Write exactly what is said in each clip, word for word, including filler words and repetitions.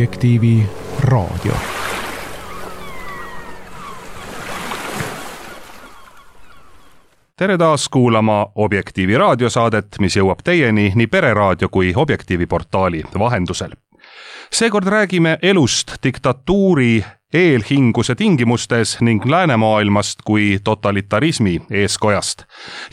Objektiivi raadio. Tere taas kuulama Objektiivi raadiosaadet, mis jõuab teieni nii Pereraadio kui Objektiivi portaali vahendusel. Seekord räägime elust diktatuuri eelhinguse tingimustes ning läänemaailmast kui totalitarismi eeskojast.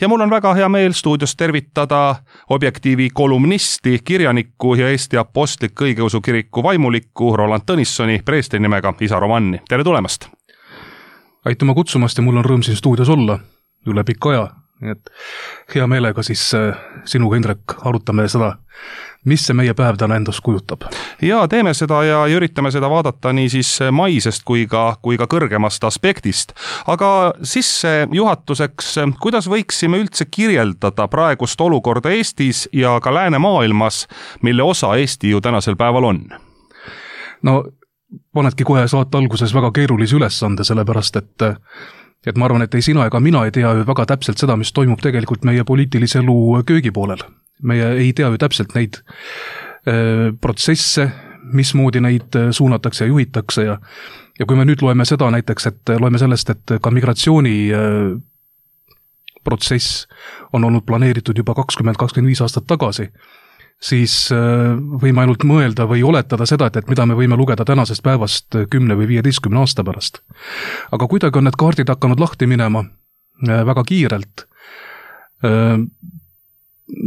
Ja mul on väga hea meel stuudios tervitada Objektiivi kolumnisti, kirjanikku ja Eesti Apostlik Õigeusu Kiriku vaimulikku Roland Tõnissoni preestri nimega isa Romanni. Tere tulemast! Aituma kutsumast ja mul on rõõm siin stuudios olla üle pikka aja. Nii et hea meelega siis sinuga, Indrek, arutame seda, mis see meie päev täna endast kujutab. Ja teeme seda ja üritame seda vaadata nii siis maisest kui ka, kui ka kõrgemast aspektist. Aga sisse juhatuseks, kuidas võiksime üldse kirjeldada praegust olukorda Eestis ja ka läänemaailmas, mille osa Eesti ju tänasel päeval on? No, panedki kohe saate alguses väga keerulisi ülesande, sellepärast, et et ma arvan, et ei sina ega mina ei tea ju väga täpselt seda, mis toimub tegelikult meie poliitilise elu köögipoolel. Meie ei tea ju täpselt neid äh, protsesse, mismoodi neid suunatakse ja juhitakse ja, ja kui me nüüd loeme seda näiteks, et loeme sellest, et ka migratsiooni äh, protsess on olnud planeeritud juba kakskümmend kakskümmend viis aastat tagasi, siis võime ainult mõelda või oletada seda, et, et mida me võime lugeda tänasest päevast kümne või viieteistkümne aasta pärast. Aga kuidagi on need kaardid hakanud lahti minema väga kiirelt.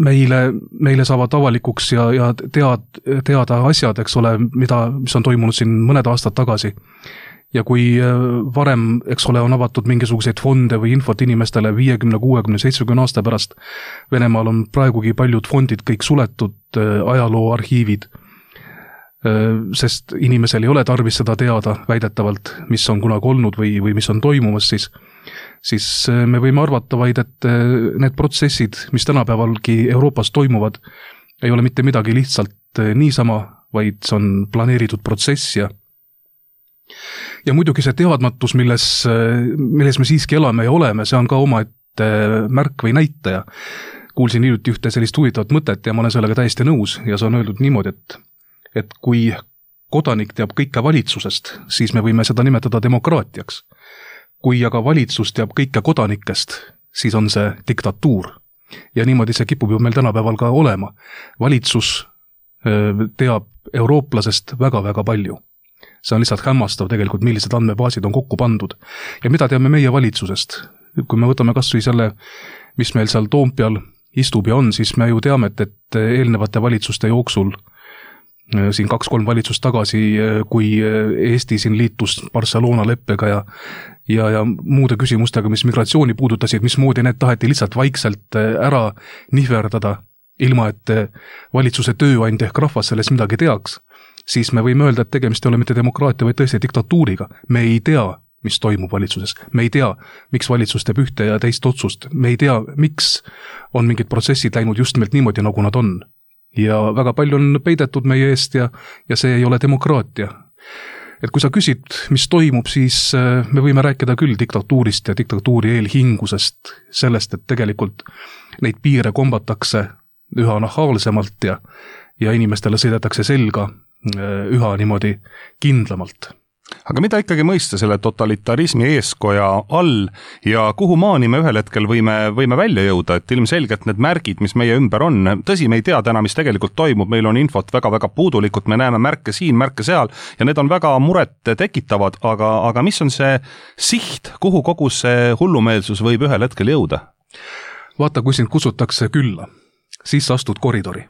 Meile, meile saavad avalikuks ja, ja tead, teada asjad, eks ole, mida, mis on toimunud siin mõned aastad tagasi. Ja kui varem, eks ole, on avatud mingisuguseid fonde või infot inimestele viiekümne, kuuekümne, seitsmekümne aasta pärast, Venemaal on praegugi paljud fondid kõik suletud, ajaloo arhiivid, sest inimesel ei ole tarvis seda teada väidetavalt, mis on kunagi olnud või, või mis on toimumas, siis, siis me võime arvata vaid, et need protsessid, mis tänapäevalgi Euroopas toimuvad, ei ole mitte midagi lihtsalt niisama, vaid see on planeeritud protsess ja Ja muidugi see teadmatus, milles, milles me siiski elame ja oleme, see on ka omaette märk või näitaja. Kuulsin hiljuti ühte sellist huvitavat mõtet ja ma olen sellega täiesti nõus ja see on öeldud niimoodi, et, et kui kodanik teab kõike valitsusest, siis me võime seda nimetada demokraatiaks. Kui aga valitsus teab kõike kodanikest, siis on see diktatuur. Ja niimoodi see kipub ju meil tänapäeval ka olema. Valitsus teab eurooplasest väga-väga palju. See on lihtsalt hämmastav tegelikult, millised andmebaasid on kokku pandud. Ja mida teame meie valitsusest? Kui me võtame kas või selle, mis meil seal Toompeal istub ja on, siis me ju teame, et, et eelnevate valitsuste jooksul, siin kaks-kolm valitsust tagasi, kui Eesti siin liitus Barcelona leppega ja, ja, ja muude küsimustega, mis migratsiooni puudutasid, mismoodi need taheti lihtsalt vaikselt ära nihverdada, ilma et valitsuse tööandja ehk rahvas sellest midagi teaks, siis me võime öelda, et tegemist ei ole mitte demokraatia, vaid tõesti diktatuuriga. Me ei tea, mis toimub valitsuses. Me ei tea, miks valitsus teeb ühte ja teist otsust. Me ei tea, miks on mingid protsessid läinud just nimelt niimoodi, nagu nad on. Ja väga palju on peidetud meie eest ja, ja see ei ole demokraatia. Et kui sa küsid, mis toimub, siis me võime rääkida küll diktatuurist ja diktatuuri eelhingusest, sellest, et tegelikult neid piire kombatakse üha nahaalsemalt ja, ja inimestele sõidetakse selga üha niimoodi kindlamalt. Aga mida ikkagi mõista selle totalitarismi eeskoja all ja kuhu maani me ühel hetkel võime, võime välja jõuda, et ilmselgelt need märgid, mis meie ümber on, tõsi, me ei tea täna, mis tegelikult toimub, meil on infot väga-väga puudulikult, me näeme märke siin, märke seal ja need on väga muret tekitavad, aga, aga mis on see siht, kuhu kogu see hullumeelsus võib ühel hetkel jõuda? Vaata, kui sind kutsutakse külla, siis astud koridori.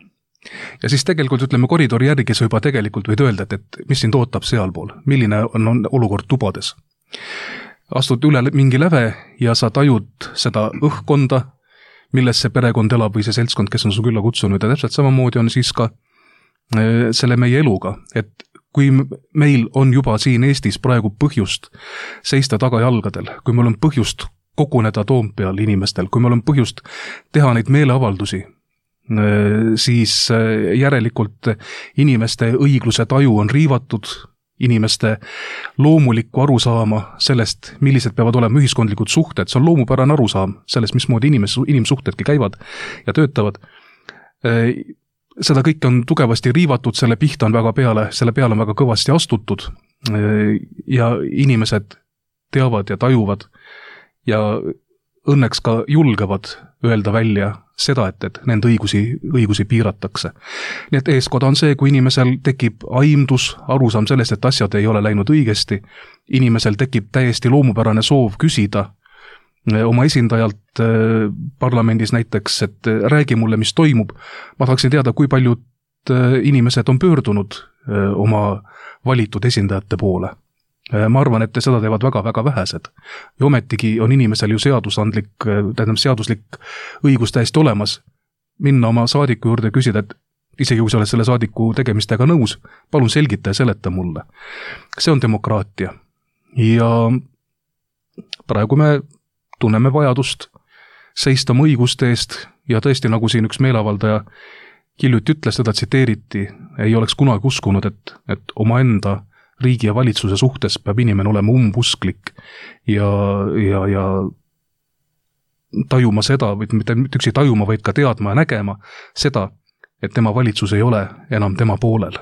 Ja siis tegelikult ütleme koridori järgi sa juba tegelikult võid öelda, et, et mis sind ootab sealpool, milline on, on olukord tubades. Astud üle mingi läve ja sa tajud seda õhkkonda, milles see perekond elab või see seltskond, kes on su külla kutsunud ja täpselt samamoodi on siis ka e, selle meie eluga, et kui meil on juba siin Eestis praegu põhjust seista tagajalgadel, kui meil on põhjust koguneda Toompeal inimestel, kui meil on põhjust teha neid meeleavaldusi, siis järelikult inimeste õigluse taju on riivatud, inimeste loomulikku arusaama sellest, millised peavad olema ühiskondlikud suhted, see on loomupärane arusaam sellest, mismoodi inimes, inimsuhtedki käivad ja töötavad, seda kõike on tugevasti riivatud, selle pihta on väga peale, selle peale on väga kõvasti astutud ja inimesed teavad ja tajuvad ja õnneks ka julgevad öelda välja seda, et, et nende õigusi, õigusi piiratakse. Nii et eeskoda on see, kui inimesel tekib aimdus, arusaam sellest, et asjad ei ole läinud õigesti, inimesel tekib täiesti loomupärane soov küsida oma esindajalt parlamendis näiteks, et räägi mulle, mis toimub. Ma tahaksin teada, kui paljud inimesed on pöördunud oma valitud esindajate poole. Ma arvan, et seda teevad väga-väga vähesed. Ja ometigi on inimesel ju seadusandlik, tähendab seaduslik õigus täiesti olemas minna oma saadiku juurde ja küsida, et isegi kui sa oled selle saadiku tegemistega nõus, palun selgita ja seleta mulle. See on demokraatia. Ja praegu me tunneme vajadust seista oma õiguste eest ja tõesti, nagu siin üks meeleavaldaja hiljuti ütles, teda tsiteeriti, ei oleks kunagi uskunud, et, et oma enda riigi ja valitsuse suhtes peab inimene olema umbusklik ja, ja, ja tajuma seda, või mitte üksi tajuma, vaid ka teadma ja nägema seda, et tema valitsus ei ole enam tema poolel.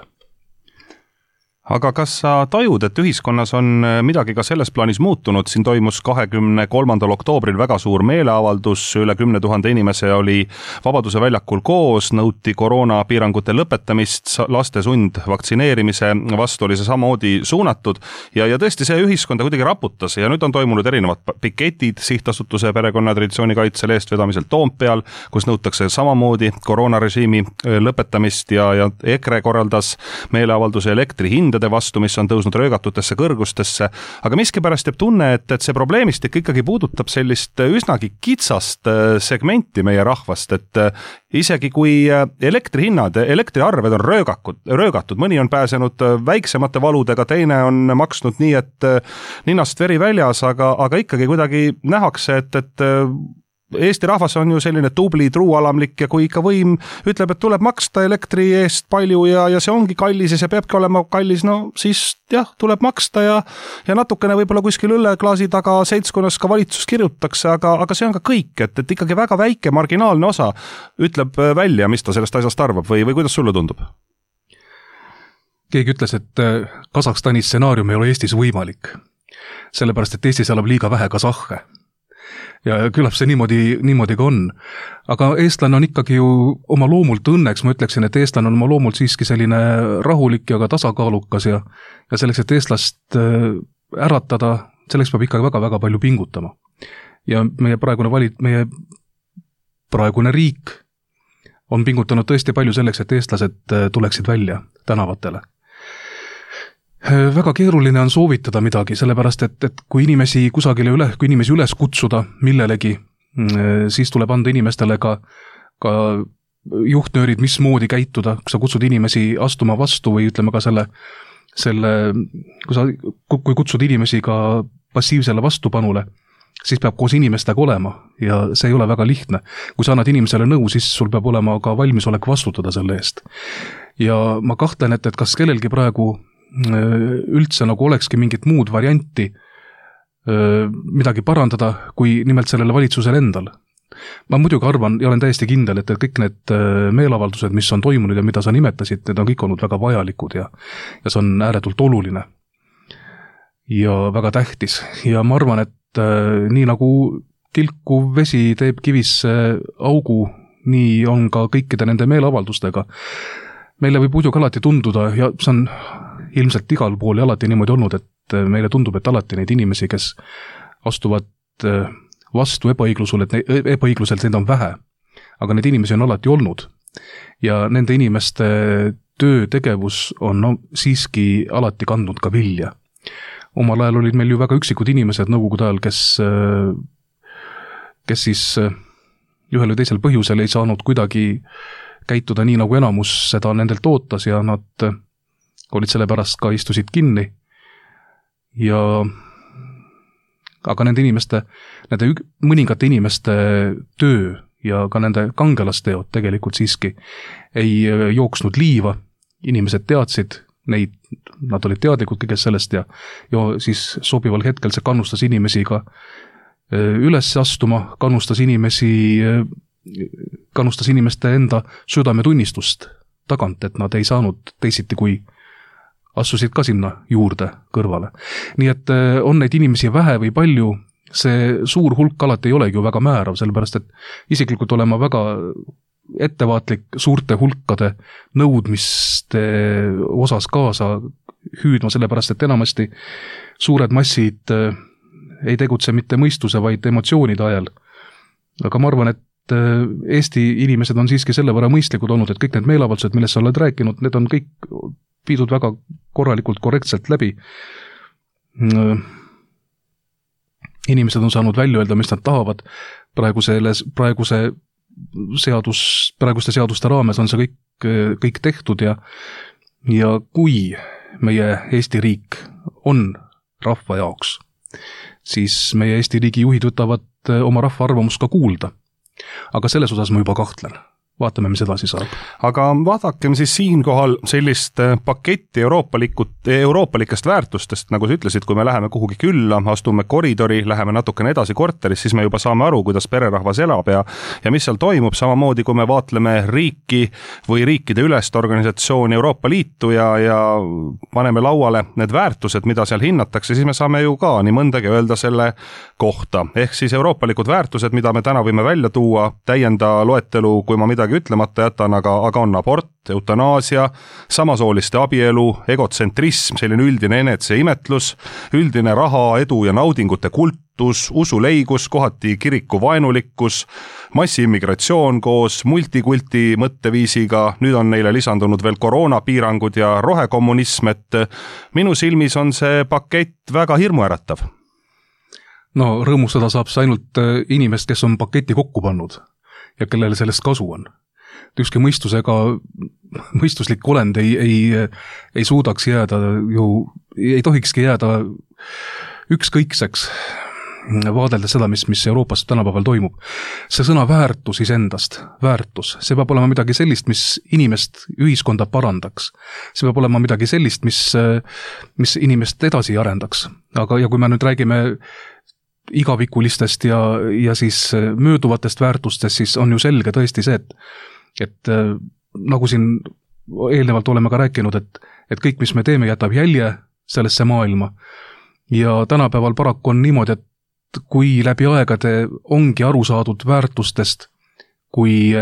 Aga kas sa tajud, et ühiskonnas on midagi ka selles plaanis muutunud? Siin toimus kahekümne kolmandal oktoobril väga suur meeleavaldus, üle kümne tuhande inimese oli Vabaduse väljakul koos, nõuti koroonapiirangute lõpetamist, laste sund vaktsineerimise vastu oli see samamoodi suunatud ja, ja tõesti see ühiskonda kuidagi raputas ja nüüd on toimunud erinevad piketid Sihtasutuse perekonna traditsiooni kaitsel eestvedamisel Toompeal, kus nõutakse samamoodi koroonarežiimi lõpetamist ja, ja EKRE korraldas meeleavalduse elektri hindade vastu, mis on tõusnud röögatutesse kõrgustesse, aga miskipärast jääb tunne, et, et see probleemistik ikkagi puudutab sellist üsnagi kitsast segmenti meie rahvast, et isegi kui elektrihinnad, elektriarved on röögakud, röögatud, mõni on pääsenud väiksemate valudega, teine on maksnud nii, et ninast veri väljas, aga, aga ikkagi kuidagi nähakse, et, et Eesti rahvas on ju selline tubli, truualamlik ja kui ikka võim ütleb, et tuleb maksta elektri eest palju ja, ja see ongi kallis ja see peabki olema kallis, no siis jah, tuleb maksta ja, ja natukene võib-olla kuskil õlleklaasi taga seltskonnas ka valitsus kirjutakse, aga, aga see on ka kõik, et, et ikkagi väga väike marginaalne osa ütleb välja, mis ta sellest asjast arvab või, või kuidas sulle tundub? Keegi ütles, et Kasahstani stsenaarium ei ole Eestis võimalik, sellepärast et Eestis elab liiga vähe kasahhe. Ja küllap see niimoodi, niimoodi ka on. Aga eestlane on ikkagi ju oma loomult õnneks, ma ütleksin, et eestlane on oma loomult siiski selline rahulik ja ka tasakaalukas ja, ja selleks, et eestlast äratada, selleks peab ikkagi väga-väga palju pingutama. Ja meie praegune valit, meie praegune riik on pingutanud tõesti palju selleks, et eestlased tuleksid välja tänavatele. Väga keeruline on soovitada midagi, sellepärast et, et kui inimesi kusagile üle, kui inimesi üles kutsuda millelegi, siis tuleb anda inimestele ka, ka juhtnöörid, mismoodi käituda, kui sa kutsud inimesi astuma vastu või ütleme ka selle, selle kui, sa, kui kutsud inimesi ka passiivsele vastupanule, siis peab koos inimestega olema ja see ei ole väga lihtne. Kui sa annad inimesele nõu, siis sul peab olema ka valmisolek vastutada selle eest. Ja ma kahtlen, et, et kas kellelgi praegu üldse nagu olekski mingit muud varianti midagi parandada, kui nimelt sellele valitsusele endal. Ma muidugi arvan ja olen täiesti kindel, et kõik need meelavaldused, mis on toimunud ja mida sa nimetasid, need on kõik olnud väga vajalikud ja, ja see on ääretult oluline ja väga tähtis. Ja ma arvan, et nii nagu tilkuv vesi teeb kivisse augu, nii on ka kõikide nende meelavaldustega. Meile võib muidugi alati tunduda ja see on ilmselt igal pool ja alati niimoodi olnud, et meile tundub, et alati neid inimesi, kes astuvad vastu ebaõiglusele, et ebaõigluselt neid on vähe, aga neid inimesi on alati olnud ja nende inimeste töötegevus on no, siiski alati kandnud ka vilja. Omal ajal olid meil ju väga üksikud inimesed nõukogude ajal, kes, kes siis ühel või teisel põhjusel ei saanud kuidagi käituda nii, nagu enamus seda nendelt ootas ja nad olid selle pärast ka istusid kinni ja aga nende inimeste, nende mõningate inimeste töö ja ka nende kangelasteod tegelikult siiski ei jooksnud liiva, inimesed teadsid neid, nad olid teadlikud kõigest sellest ja, ja siis sobival hetkel see kannustas inimesi ka üles astuma, kannustas inimesi kannustas inimeste enda südametunnistust tagant, et nad ei saanud teisiti, kui assusid ka sinna juurde kõrvale. Nii et on neid inimesi vähe või palju, see suur hulk alati ei olegi ju väga määrav, sellepärast et isiklikult olema väga ettevaatlik suurte hulkade nõudmiste osas kaasa hüüdma, sellepärast et enamasti suured massid ei tegutse mitte mõistuse, vaid emotsioonide ajal. Aga ma arvan, et Eesti inimesed on siiski selle võrra mõistlikud olnud, et kõik need meelavaldused, millest sa oled rääkinud, need on kõik viidud väga korralikult, korrektselt läbi. Inimesed on saanud välja öelda, mis nad tahavad. Praegu selles, praeguse seadus, praeguste seaduste raames on see kõik, kõik tehtud ja, ja kui meie Eesti riik on rahva jaoks, siis meie Eesti riigi juhid võtavad oma rahva arvamust ka kuulda. Aga selles osas ma juba kahtlen. Vaatame, mis edasi saab. Aga vaadakem siis siinkohal sellist paketti euroopalikut, euroopalikest väärtustest, nagu sa ütlesid, kui me läheme kuhugi külla, astume koridori, läheme natukene edasi korteris, siis me juba saame aru, kuidas pererahvas elab ja, ja mis seal toimub, samamoodi kui me vaatleme riiki või riikide ülest organisatsiooni Euroopa Liitu ja, ja paneme lauale need väärtused, mida seal hinnatakse, siis me saame ju ka nii mõndagi öelda selle kohta. Ehk siis euroopalikud väärtused, mida me täna võime välja tuua, täienda loetelu, kui ma midagi ütlemata jätan, aga, aga on abort, eutanaasia, samasooliste abielu, egotsentrism, selline üldine eneseimetlus, üldine raha, edu ja naudingute kultus, usuleigus, kohati kiriku vaenulikkus, massiimmigratsioon koos multikulti mõtteviisiga, nüüd on neile lisandunud veel koroonapiirangud ja rohekommunism, et minu silmis on see pakett väga hirmuäratav. No rõõmustada saab see ainult inimest, kes on paketi kokku pannud ja kellele sellest kasu on. Ükski mõistusega, mõistuslik olend ei, ei, ei suudaks jääda ju, ei tohikski jääda ükskõikseks vaadelda seda, mis, mis Euroopas tänapäeval toimub. See sõna väärtus isendast, väärtus, see peab olema midagi sellist, mis inimest, ühiskonda parandaks. See peab olema midagi sellist, mis, mis inimest edasi arendaks. Aga ja kui me nüüd räägime igavikulistest ja, ja siis mööduvatest väärtustest, siis on ju selge tõesti see, et, et nagu siin eelnevalt oleme ka rääkinud, et, et kõik, mis me teeme, jätab jälje sellesse maailma. Ja tänapäeval paraku on niimoodi, et kui läbi aegade ongi aru saadud väärtustest kui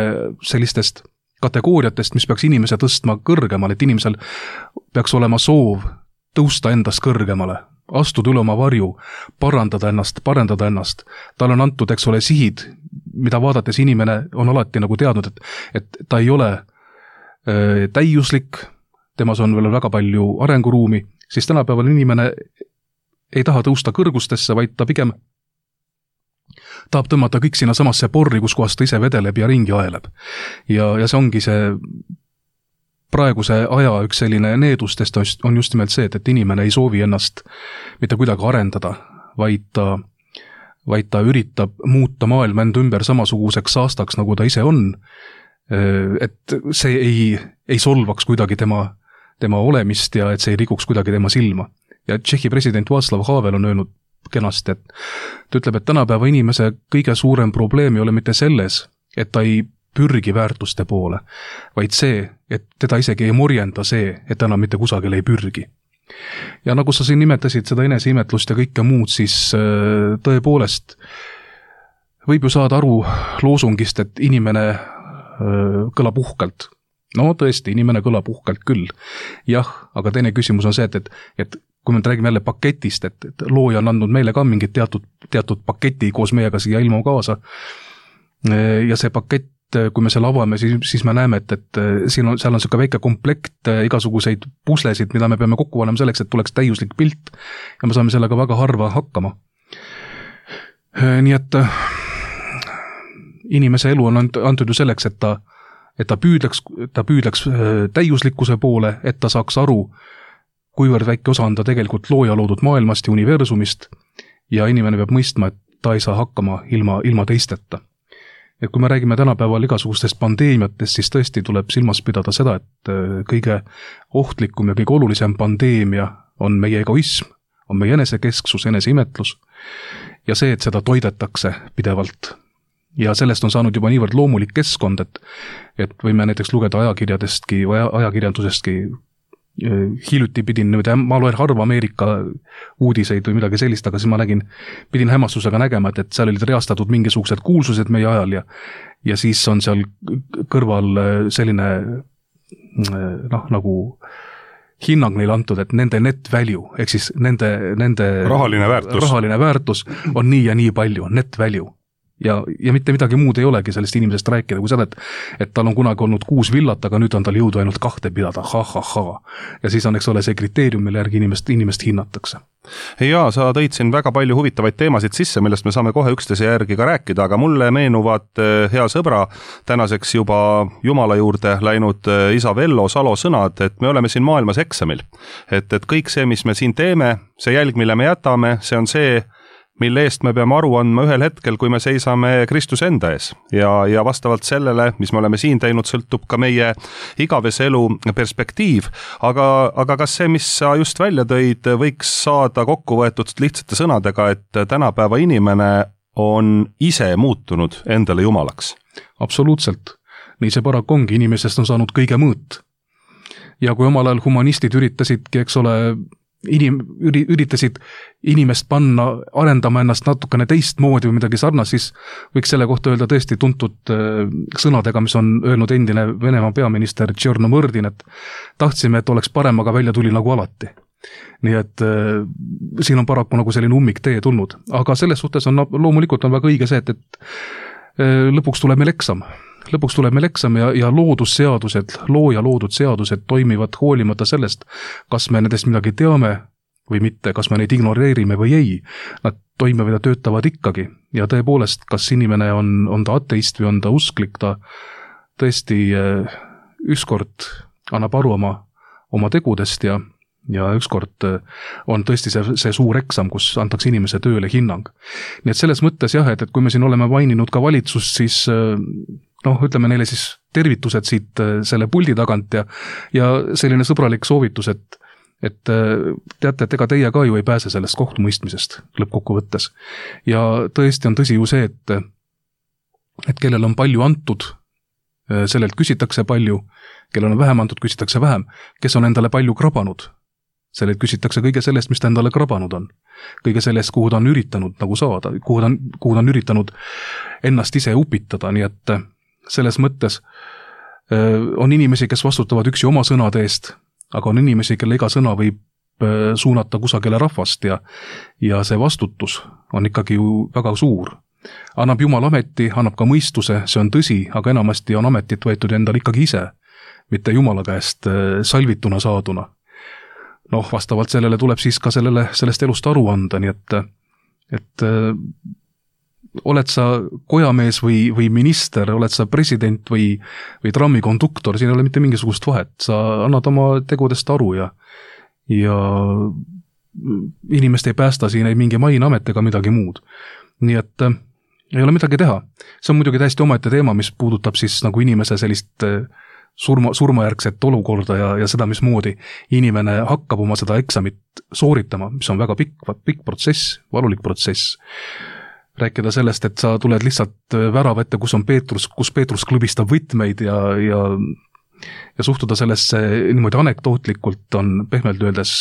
sellistest kategooriatest, mis peaks inimese tõstma kõrgemale, et inimesel peaks olema soov tõusta endast kõrgemale, astuda üle oma varju, parandada ennast, parendada ennast. Tal on antud, eks ole, sihid, mida vaadates inimene on alati nagu teadnud, et, et ta ei ole äh, täiuslik, temas on veel väga palju arenguruumi, siis tänapäeval inimene ei taha tõusta kõrgustesse, vaid ta pigem tahab tõmmata kõik sinna samasse porri, kus kohast ta ise vedeleb ja ringi aeleb. Ja, ja see ongi see praeguse aja üks selline needustest on just nimelt see, et, et inimene ei soovi ennast mitte kuidagi arendada, vaid ta, vaid ta üritab muuta maailma enda ümber samasuguseks saastaks, nagu ta ise on, et see ei, ei solvaks kuidagi tema, tema olemist ja et see ei rikuks kuidagi tema silma. Ja Tšehhi president Václav Havel on öelnud kenasti, et ta ütleb, et tänapäeva inimese kõige suurem probleem ei ole mitte selles, et ta ei pürgi väärtuste poole, vaid see, et teda isegi ei morjenda see, et ta enam mitte kusagil ei pürgi. Ja nagu sa siin nimetasid seda eneseimetlust ja kõike muud, siis tõepoolest võib ju saada aru loosungist, et inimene kõlab uhkelt. No tõesti, inimene kõlab uhkelt küll. Jah, aga teine küsimus on see, et, et, et kui me räägime jälle paketist, et, et looja on andnud meile ka mingit teatud, teatud paketi koos meiega siia ilmu kaasa. Ja see pakett, kui me selle avame, siis, siis me näeme, et, et siin on, seal on selline väike komplekt igasuguseid puslesid, mida me peame kokku panema selleks, et tuleks täiuslik pilt ja me saame sellega väga harva hakkama. Nii et inimese elu on antud ju selleks, et ta, et ta püüdleks, ta püüdleks täiuslikkuse poole, et ta saaks aru, kuivõrd väike osa on ta tegelikult looja loodud maailmast ja universumist ja inimene peab mõistma, et ta ei saa hakkama ilma, ilma teisteta. Et kui me räägime tänapäeval igasugustest pandeemiatest, siis tõesti tuleb silmas pidada seda, et kõige ohtlikum ja kõige olulisem pandeemia on meie egoism, on meie enesekesksus, eneseimetlus ja see, et seda toidetakse pidevalt ja sellest on saanud juba niivõrd loomulik keskkond, et et võime näiteks lugeda ajakirjadestki või ajakirjandusestki. Hiljuti pidin, ma loen harva Ameerika uudiseid või midagi sellist, aga siis ma nägin, pidin hämmastusega nägema, et, et seal olid reastatud mingisugused kuulsused meie ajal ja ja siis on seal kõrval selline noh, nagu hinnang neile antud, et nende net value, ehk siis nende, nende rahaline väärtus. rahaline väärtus on nii ja nii palju, net value. Ja, ja mitte midagi muud ei olegi sellest inimesest rääkida, kui seda, et, et tal on kunagi olnud kuus villat, aga nüüd on tal jõudu ainult kahte pidada, ha, ha, ha. Ja siis on, eks ole, see kriteerium, mille järgi inimest, inimest hinnatakse. Jaa, sa tõid siin väga palju huvitavaid teemasid sisse, millest me saame kohe üksteise järgi ka rääkida, aga mulle meenuvad hea sõbra tänaseks juba Jumala juurde läinud isa Vello Salo sõnad, et me oleme siin maailmas eksamil. Et, et kõik see, mis me siin teeme, see jälg, mille me jätame, see on see, mille eest me peame aru andma ühel hetkel, kui me seisame Kristuse enda ees. Ja, ja vastavalt sellele, mis me oleme siin teinud, sõltub ka meie igavese elu perspektiiv. Aga, aga kas see, mis sa just välja tõid, võiks saada kokku võetud lihtsate sõnadega, et tänapäeva inimene on ise muutunud endale jumalaks? Absoluutselt. Nii see paraku ongi, inimesest on saanud kõige mõõt. Ja kui omal ajal humanistid üritasidki, eks ole, Inim, üritasid inimest panna, arendama ennast natukene teistmoodi või midagi sarnast, siis võiks selle kohta öelda tõesti tuntud sõnadega, mis on öelnud endine Venemaa peaminister Tšernomõrdin, et tahtsime, et oleks parem, aga välja tuli nagu alati. Nii et äh, siin on paraku nagu selline ummik tee tulnud, aga selles suhtes on loomulikult on väga õige see, et, et äh, lõpuks tuleb meil eksam. Lõpuks tuleb meil eksam ja, ja loodusseadused, looja loodud seadused toimivad hoolimata sellest, kas me nendest midagi teame või mitte, kas me neid ignoreerime või ei. Nad toimivad ja töötavad ikkagi ja tõepoolest, kas inimene on, on ta ateist või on ta usklik, ta tõesti ükskord annab aru oma, oma tegudest ja ja ükskord on tõesti see, see suur eksam, kus antakse inimese tööle hinnang. Nii et selles mõttes jah, et, et kui me siin oleme maininud ka valitsust, siis noh, ütleme neile siis tervitused siit selle puldi tagant ja, ja selline sõbralik soovitus, et, et teate, et ega teie ka ju ei pääse sellest kohtumõistmisest lõppkokkuvõttes. Ja tõesti on tõsi ju see, et, et kellel on palju antud, sellelt küsitakse palju, kellel on vähem antud, küsitakse vähem, kes on endale palju krabanud. Sellelt küsitakse kõige sellest, mis ta endale krabanud on. Kõige sellest, kuhu ta on üritanud nagu saada, kuhu ta on, kuhu ta on üritanud ennast ise upitada, nii et selles mõttes on inimesi, kes vastutavad üksi oma sõnade eest, aga on inimesi, kelle iga sõna võib suunata kusagile rahvast ja, ja see vastutus on ikkagi ju väga suur. Annab Jumal ameti, annab ka mõistuse, see on tõsi, aga enamasti on ametit võetud endal ikkagi ise, mitte Jumala käest salvituna saaduna. Noh, vastavalt sellele tuleb siis ka sellele, sellest elust aru anda, nii et, et oled sa kojamees või, või minister, oled sa president või, või trammikonduktor, siin ei ole mitte mingisugust vahet, sa annad oma tegudest aru ja, ja inimest ei päästa siin ei mingi mainamet ega midagi muud. Nii et ei ole midagi teha. See on muidugi täiesti omaette teema, mis puudutab siis nagu inimese sellist surma, surmajärgset olukorda ja, ja seda, mismoodi inimene hakkab oma seda eksamit sooritama, mis on väga pikk, pikk protsess, valulik protsess. Rääkida sellest, et sa tuled lihtsalt värava ette, kus on Peetrus, kus Peetrus klõbistab võtmeid ja, ja, ja suhtuda sellesse niimoodi anekdootlikult on pehmelt öeldes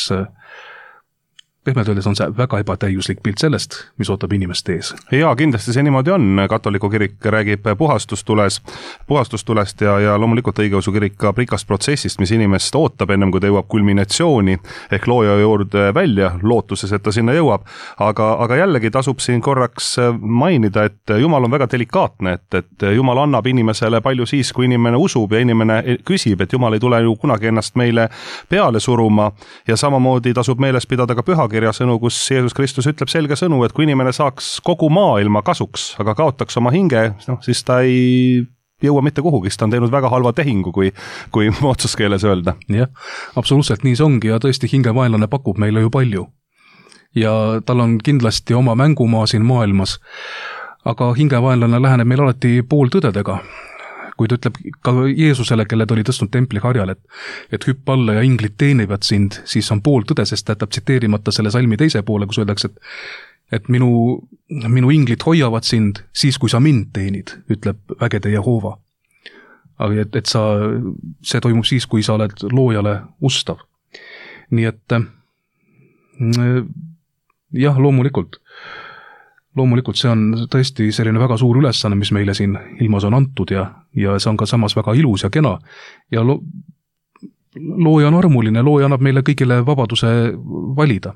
pehmelt öeldes on see väga ebatäiuslik pilt sellest, mis ootab inimest ees. Jaa, kindlasti see niimoodi on. Katoliku kirik räägib puhastustules, puhastustulest ja, ja loomulikult õigeusu kirik ka pikast protsessist, mis inimest ootab ennem, kui ta jõuab kulminatsiooni ehk looja juurde välja, lootuses, et ta sinna jõuab. Aga, aga jällegi tasub siin korraks mainida, et Jumal on väga delikaatne, et, et Jumal annab inimesele palju siis, kui inimene usub ja inimene küsib, et Jumal ei tule ju kunagi ennast meile peale suruma ja samamoodi tasub meeles pidada ka pühakirja sõnu, kus Jeesus Kristus ütleb selge sõnu, et kui inimene saaks kogu maailma kasuks, aga kaotaks oma hinge, no, siis ta ei jõua mitte kuhugi, ta on teinud väga halva tehingu, kui, kui otsuskeeles öelda. Jah, absoluutselt nii see ongi ja tõesti hingevaenlane pakub meile ju palju. Ja tal on kindlasti oma mängumaa siin maailmas, aga hingevaenlane läheneb meil alati pooltõdedega. Kui ta ütleb ka Jeesusele, kelle ta oli tõstnud templi harjal, et, et hüpp alla ja inglid teenivad sind, siis on pool tõde, sest ta jätab tsiteerimata selle salmi teise poole, kus öeldakse, et et minu, minu inglid hoiavad sind siis, kui sa mind teenid, ütleb vägede Jehoova. Aga et, et sa, see toimub siis, kui sa oled loojale ustav. Nii et jah, loomulikult. Loomulikult see on tõesti selline väga suur ülesanne, mis meile siin ilmas on antud ja, ja see on ka samas väga ilus ja kena. Ja lo, looja on armuline, looja annab meile kõigile vabaduse valida.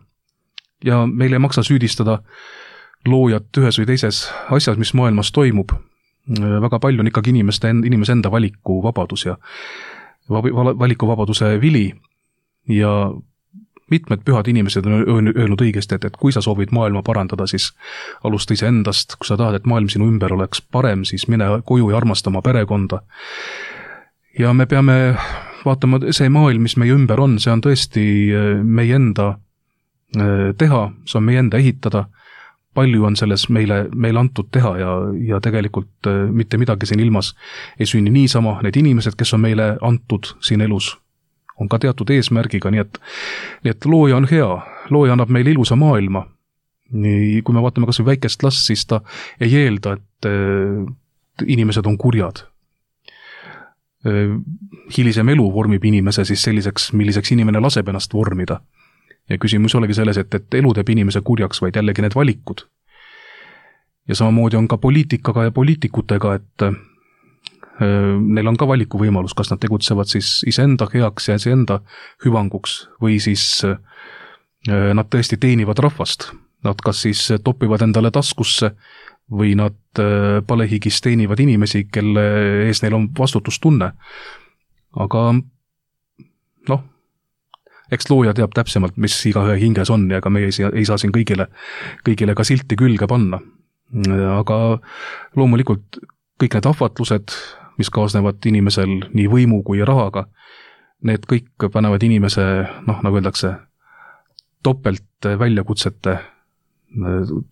Ja meile ei maksa süüdistada loojat ühes või teises asjas, mis maailmas toimub. Väga palju on ikkagi inimeste, inimese enda valikuvabadus ja valikuvabaduse vili ja mitmed pühad inimesed on öelnud õigesti, et, et kui sa soovid maailma parandada, siis alusta ise endast, kui sa tahad, et maailm sinu ümber oleks parem, siis mine koju ja armasta oma perekonda. Ja me peame vaatama, see maailm, mis meie ümber on, see on tõesti meie enda teha, see on meie enda ehitada, palju on selles meile, meile antud teha ja, ja tegelikult mitte midagi siin ilmas ei sünni niisama, need inimesed, kes on meile antud siin elus, on ka teatud eesmärgiga, nii et, nii et looja on hea, looja annab meile ilusa maailma. Nii, kui me vaatame kas või väikest last, siis ta ei eelda, et inimesed on kurjad. Hilisem elu vormib inimese siis selliseks, milliseks inimene laseb ennast vormida. Ja küsimus olegi selles, et, et elu teeb inimese kurjaks, vaid jällegi need valikud. Ja samamoodi on ka poliitikaga ja poliitikutega, et neil on ka valiku võimalus, kas nad tegutsevad siis iseenda heaks ja iseenda hüvanguks või siis nad tõesti teenivad rahvast. Nad kas siis topivad endale taskusse või nad palehigis teenivad inimesi, kelle ees neil on vastutustunne. Aga noh, eks looja teab täpsemalt, mis igaühe hinges on ja ega me ei, ei saa siin kõigile, kõigile ka silti külge panna. Aga loomulikult kõik need ahvatlused, mis kaasnevad inimesel nii võimu kui rahaga, need kõik panevad inimese, noh, nagu öeldakse, topelt väljakutsete,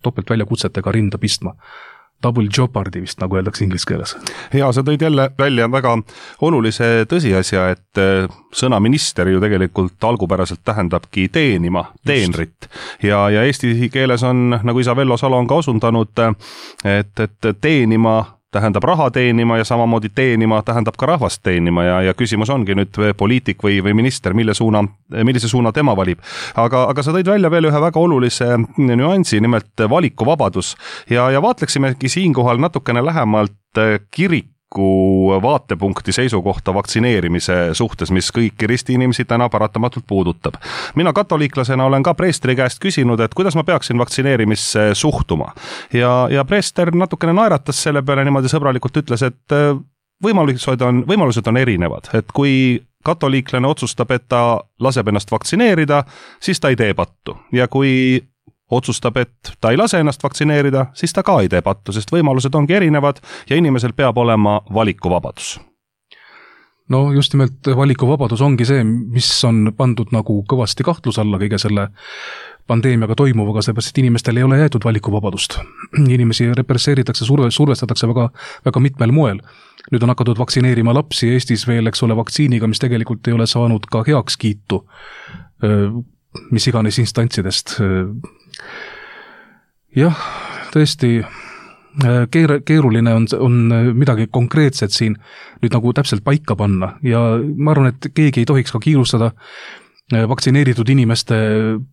topelt väljakutsetega rinda pistma. Double jeopardy vist, nagu öeldakse inglise keeles. Ja sa tõid jälle välja väga olulise tõsiasja, et sõna minister ju tegelikult algupäraselt tähendabki teenima, teenrit. Ja, ja eesti keeles on, nagu isa Vello Salo on ka osundanud, et, et teenima tähendab raha teenima ja samamoodi teenima tähendab ka rahvast teenima ja, ja küsimus ongi nüüd poliitik või, või minister, mille suuna, millise suuna tema valib. Aga, aga sa tõid välja veel ühe väga olulise nüansi, nimelt valikuvabadus ja, ja vaatleksimegi siinkohal natukene lähemalt kiriku vaatepunkti seisukohta vaktsineerimise suhtes, mis kõiki ristiinimesi täna paratamatult puudutab. Mina katoliiklasena olen ka preestri käest küsinud, et kuidas ma peaksin vaktsineerimisse suhtuma. Ja, ja preester natukene naeratas selle peale niimoodi sõbralikult ütles, et võimalused on, võimalused on erinevad, et kui katoliiklane otsustab, et ta laseb ennast vaktsineerida, siis ta ei tee pattu. Ja kui otsustab, et ta ei lase ennast vaktsineerida, siis ta ka ei tee pattu, sest võimalused ongi erinevad ja inimesel peab olema valikuvabadus. No just nimelt valikuvabadus ongi see, mis on pandud nagu kõvasti kahtlus alla kõige selle pandeemiaga toimuvaga, seepärast, et inimestel ei ole jäetud valikuvabadust. Inimesi represseeritakse, surve, survestatakse väga, väga mitmel moel. Nüüd on hakatud vaktsineerima lapsi Eestis veel, eks ole, vaktsiiniga, mis tegelikult ei ole saanud ka heaks kiitu, mis iganes instantsidest. Jah, tõesti keer, keeruline on, on midagi konkreetset siin nüüd nagu täpselt paika panna ja ma arvan, et keegi ei tohiks ka kiirustada vaktsineeritud inimeste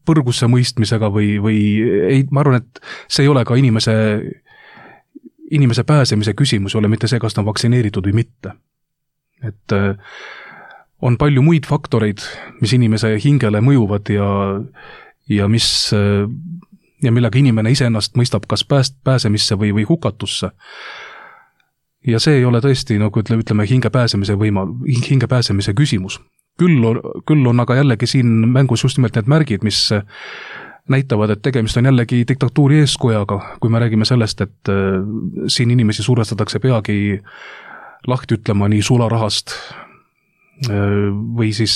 põrgusse mõistmisega või, või ei, ma arvan, et see ei ole ka inimese, inimese pääsemise küsimus, ei ole mitte see, kas ta on vaktsineeritud või mitte. Et on palju muid faktoreid, mis inimese hingele mõjuvad ja, ja mis ja millega inimene iseennast mõistab kas pääst, pääsemisse või, või hukatusse. Ja see ei ole tõesti, nagu ütleme, ütleme hinge pääsemise võima, hinge pääsemise küsimus. Küll on, küll on aga jällegi siin mängus just nimelt need märgid, mis näitavad, et tegemist on jällegi diktatuuri eeskojaga, kui me räägime sellest, et siin inimesi survestatakse peagi lahti ütlema nii sularahast või siis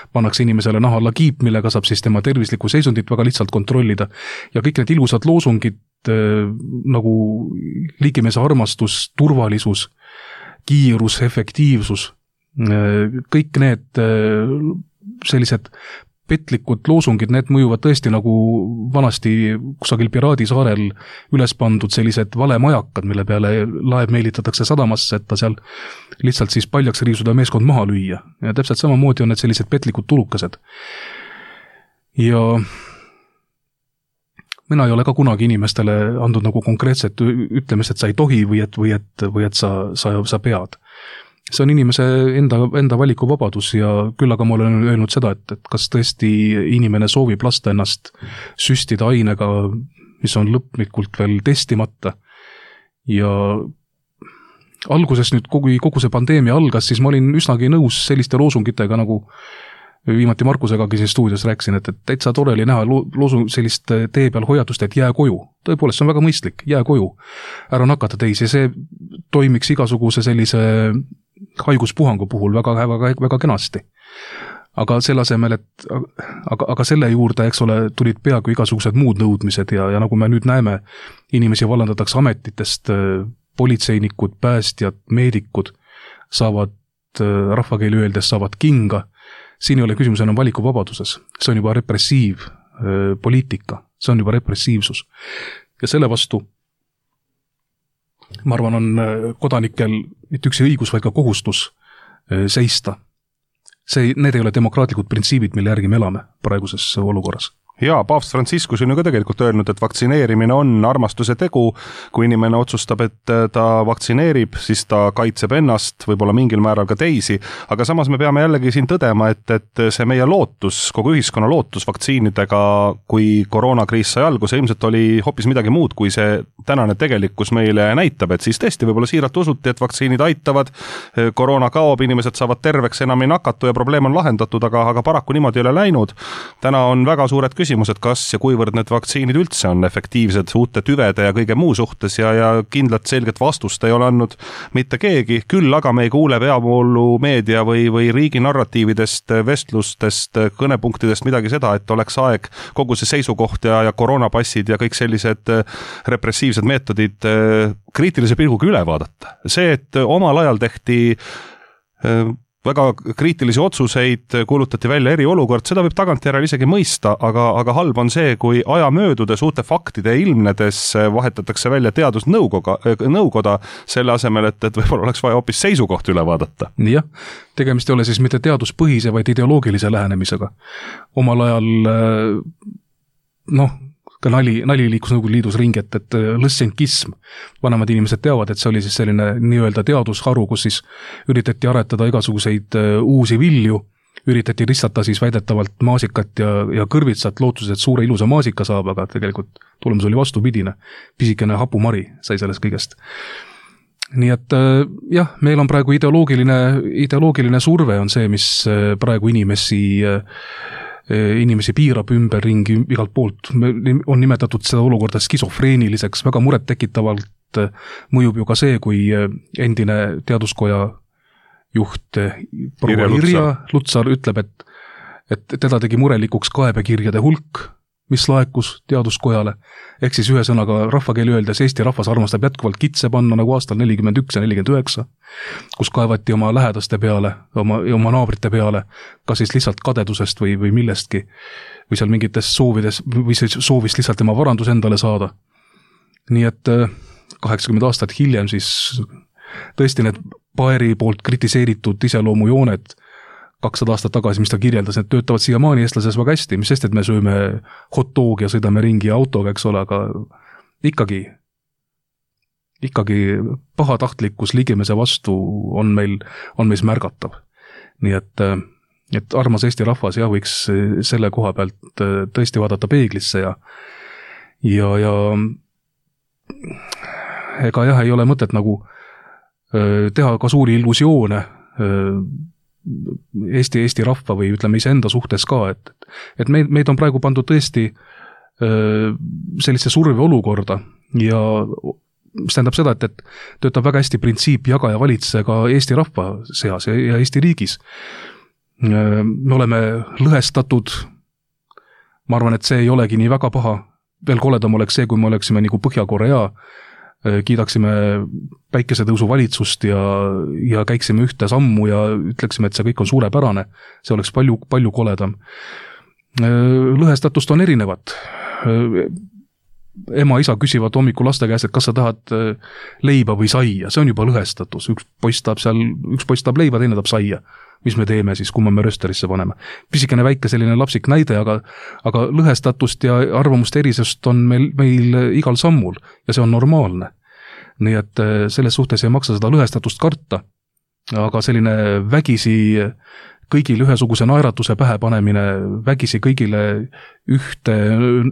pannakse inimesele naha alla kiip, millega saab siis tema tervislikku seisundit väga lihtsalt kontrollida. Ja kõik need ilusad loosungid nagu liigimeese armastus, turvalisus, kiirus, efektiivsus, kõik need sellised petlikud loosungid, need mõjuvad tõesti nagu vanasti kusagil Piraadisaarel üles pandud sellised valemajakad, mille peale laev meelitatakse sadamasse, et ta seal lihtsalt siis paljaks riisuda meeskond maha lüüa. Ja täpselt samamoodi on need sellised petlikud tulukased. Ja mina ei ole ka kunagi inimestele andnud nagu konkreetset ütlemist, et sa ei tohi või et, või et, või et sa, sa, sa pead. See on inimese enda, enda valikuvabadus ja küll aga ma olen öelnud seda, et, et kas tõesti inimene soovib lasta ennast süstida ainega, mis on lõplikult veel testimata. Ja alguses nüüd, kui kogu see pandeemia algas, siis ma olin üsnagi nõus selliste loosungitega, nagu viimati Markusegagi siin stuudios rääksin, et, et täitsa tore oli näha loosung sellist tee peal hoiatust, et jää koju. Tõepoolest, see on väga mõistlik, jää koju. Ära nakata teisi, see toimiks igasuguse sellise haiguspuhangu puhul väga, väga, väga kenasti. Aga selle asemel, et aga, aga selle juurde, eks ole, tulid peaaegu igasugused muud nõudmised ja, ja nagu me nüüd näeme, inimesi vallandatakse ametitest, politseinikud, päästjad, meedikud saavad, rahvakeeli öeldes saavad kinga. Siin ei ole küsimus enam valikuvabaduses. See on juba repressiiv poliitika, see on juba repressiivsus. Ja selle vastu ma arvan, on kodanikel mitte üksi õigus, vaid ka kohustus seista. See, need ei ole demokraatlikud printsiibid, mille järgi me elame praeguses olukorras. Jaa, Paavst Franciscus on ju ka tegelikult öelnud, et vaktsineerimine on armastuse tegu. Kui inimene otsustab, et ta vaktsineerib, siis ta kaitseb ennast, võib-olla mingil määral ka teisi. Aga samas me peame jällegi siin tõdema, et, et see meie lootus, kogu ühiskonna lootus vaktsiinidega, kui koroonakriis sai algus, ilmselt oli hoopis midagi muud, kui see tänane tegelikkus meile näitab. Et siis tõesti võib-olla siiralt usuti, et vaktsiinid aitavad, koroona kaob, inimesed saavad terveks, enam ei nakatu ja probleem on lahendatud, aga, aga paraku niimoodi ei ole läinud. Täna on väga suured küsimus, et kas ja kuivõrd need vaktsiinid üldse on efektiivsed uute tüvede ja kõige muu suhtes ja, ja kindlat selget vastust ei ole andnud mitte keegi. Küll aga me ei kuule peavoolu meedia või, või riigi narratiividest, vestlustest, kõnepunktidest midagi seda, et oleks aeg kogu see seisukoht ja, ja koroonapassid ja kõik sellised repressiivsed meetodid kriitilise pilguga üle vaadata. See, et omal ajal tehti väga kriitilisi otsuseid, kuulutati välja eriolukord, seda võib tagantjärele isegi mõista, aga, aga halb on see, kui aja möödudes uute faktide ilmnedes vahetatakse välja teadusnõukoga, nõukoda selle asemel, et, et võib-olla oleks vaja hoopis seisukoht üle vaadata. Jah, tegemist ei ole siis mitte teaduspõhise, vaid ideoloogilise lähenemisega. Omal ajal, noh, ka nali, nali liikus Nõukogude Liidus ringi, et, et lõssenkism. Vanemad inimesed teavad, et see oli siis selline nii-öelda teadusharu, kus siis üritati aretada igasuguseid uusi vilju, üritati ristata siis väidetavalt maasikat ja, ja kõrvitsat lootuses, et suure ilusa maasika saab, aga tegelikult tulemus oli vastupidine. Pisikene hapumari sai sellest kõigest. Nii et jah, meil on praegu ideoloogiline, ideoloogiline surve on see, mis praegu inimesi inimesi piirab ümber ringi igalt poolt. On nimetatud seda olukorda skisofreeniliseks, väga muret tekitavalt mõjub ju ka see, kui endine teaduskoja juht proua Irja Lutsar ütleb, et, et teda tegi murelikuks kaebekirjade hulk, mis laekus teaduskojale. Ehk siis ühe sõnaga rahvakeeli öeldes Eesti rahvas armastab jätkuvalt kitse panna nagu aastal nelikümmend üks ja nelikümmend üheksa, kus kaevati oma lähedaste peale, oma, oma naabrite peale, kas siis lihtsalt kadedusest või, või millestki, või seal mingites soovides, või soovist lihtsalt tema varandus endale saada. Nii et kaheksakümmend aastat hiljem siis tõesti need Paeri poolt kritiseeritud iseloomujooned kakssada aastat tagasi, mis ta kirjeldas, need töötavad siiamaani eestlases väga hästi, mis sest, et me sööme hot dog ja sõidame ringi autoga, eks ole, aga ikkagi, ikkagi pahatahtlikkus ligimese vastu on meil, on meis märgatav. Nii et, et armas Eesti rahvas jah, võiks selle koha pealt tõesti vaadata peeglisse ja, ja, ja ega jah, ei ole mõtet nagu teha ka suuri illusioone Eesti, Eesti rahva või ütleme iseenda suhtes ka, et, et meid, meid on praegu pandud tõesti sellise surve olukorda ja mis tähendab seda, et, et töötab väga hästi printsiip jaga ja valitse ka Eesti rahva seas ja Eesti riigis. Me oleme lõhestatud, ma arvan, et see ei olegi nii väga paha, veel koledam oleks see, kui me oleksime nagu Põhja-Korea, kiidaksime päikesetõusu valitsust ja, ja käiksime ühte sammu ja ütleksime, et see kõik on suurepärane, see oleks palju, palju koledam. Lõhestatust on erinevat. Ema-isa küsivad hommikul laste käest, et kas sa tahad leiba või saia, see on juba lõhestatus. Üks poiss tahab seal, üks poiss tahab leiba, teine tahab saia. Mis me teeme siis, kui me röösterisse paneme? Pisikene väike selline lapsik näide, aga, aga lõhestatust ja arvamuste erisust on meil, meil igal sammul ja see on normaalne. Nii et selles suhtes ei maksa seda lõhestatust karta, aga selline vägisi kõigile ühesuguse naeratuse pähe panemine, vägisi kõigile ühte,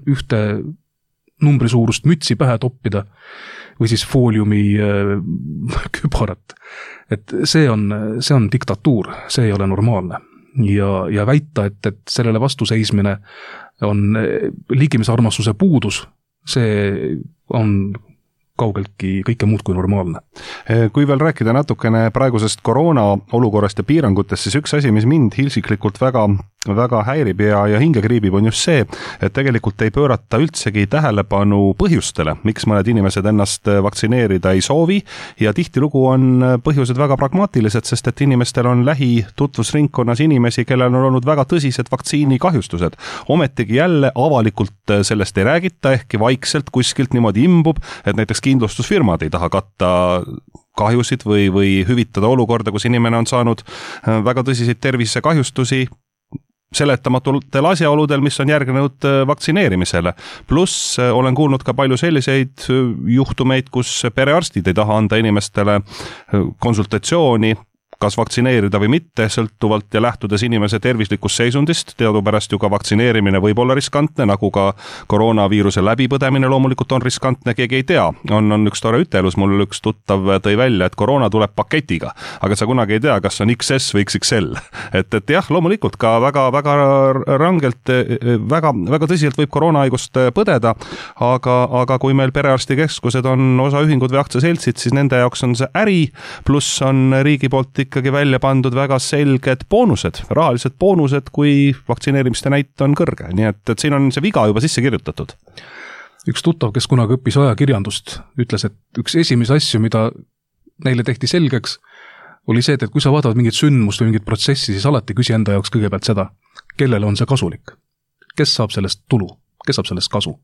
ühte numbri suurust mütsi pähe toppida või siis fooliumi kübarat. Et see on, see on diktatuur, see ei ole normaalne. Ja, ja väita, et, et sellele vastuseismine on liigimisarmastuse puudus, see on kaugeltki kõike muud kui normaalne. Kui veel rääkida natukene praegusest koroona olukorrast ja piirangutest, siis üks asi, mis mind hilsiklikult väga, väga häirib ja, ja hinge kriibib, on just see, et tegelikult ei pöörata üldsegi tähelepanu põhjustele, miks mõned inimesed ennast vaktsineerida ei soovi ja tihtilugu on põhjused väga pragmaatilised, sest et inimestel on lähi tutvusringkonnas inimesi, kellel on olnud väga tõsised vaktsiinikahjustused. Ometigi jälle avalikult sellest ei räägita, ehkki vaikselt kuskilt niimoodi imbub, et näiteks kindlustusfirmad ei taha katta kahjusid või, või hüvitada olukorda, kus inimene on saanud väga tõsiseid tervisekahjustusi seletamatutel asjaoludel, mis on järgnenud vaktsineerimisele. Pluss olen kuulnud ka palju selliseid juhtumeid, kus perearstid ei taha anda inimestele konsultatsiooni, kas vaktsineerida või mitte, sõltuvalt ja lähtudes inimese tervislikust seisundist. Teadupärast ju ka vaktsineerimine võib olla riskantne, nagu ka koroonaviiruse läbipõdemine loomulikult on riskantne, keegi ei tea. On, on üks tore ütelus, mul üks tuttav tõi välja, et koroona tuleb paketiga, aga sa kunagi ei tea, kas on X S või X X L. Et, et jah, loomulikult ka väga, väga rangelt, väga, väga tõsiselt võib koroonahaigust põdeda, aga, aga kui meil perearstikeskused on osaühingud või aktsiaseltsid, siis nende jaoks on see äri, pluss on riigi poolt ikkagi välja pandud väga selged boonused, rahalised boonused, kui vaktsineerimiste näit on kõrge. Nii et, et siin on see viga juba sisse kirjutatud. Üks tuttav, kes kunagi õppis ajakirjandust, ütles, et üks esimese asju, mida neile tehti selgeks, oli see, et kui sa vaatavad mingit sündmust või mingit protsessi, siis alati küsi enda jaoks kõigepealt seda, kellele on see kasulik, kes saab sellest tulu, kes saab sellest kasu.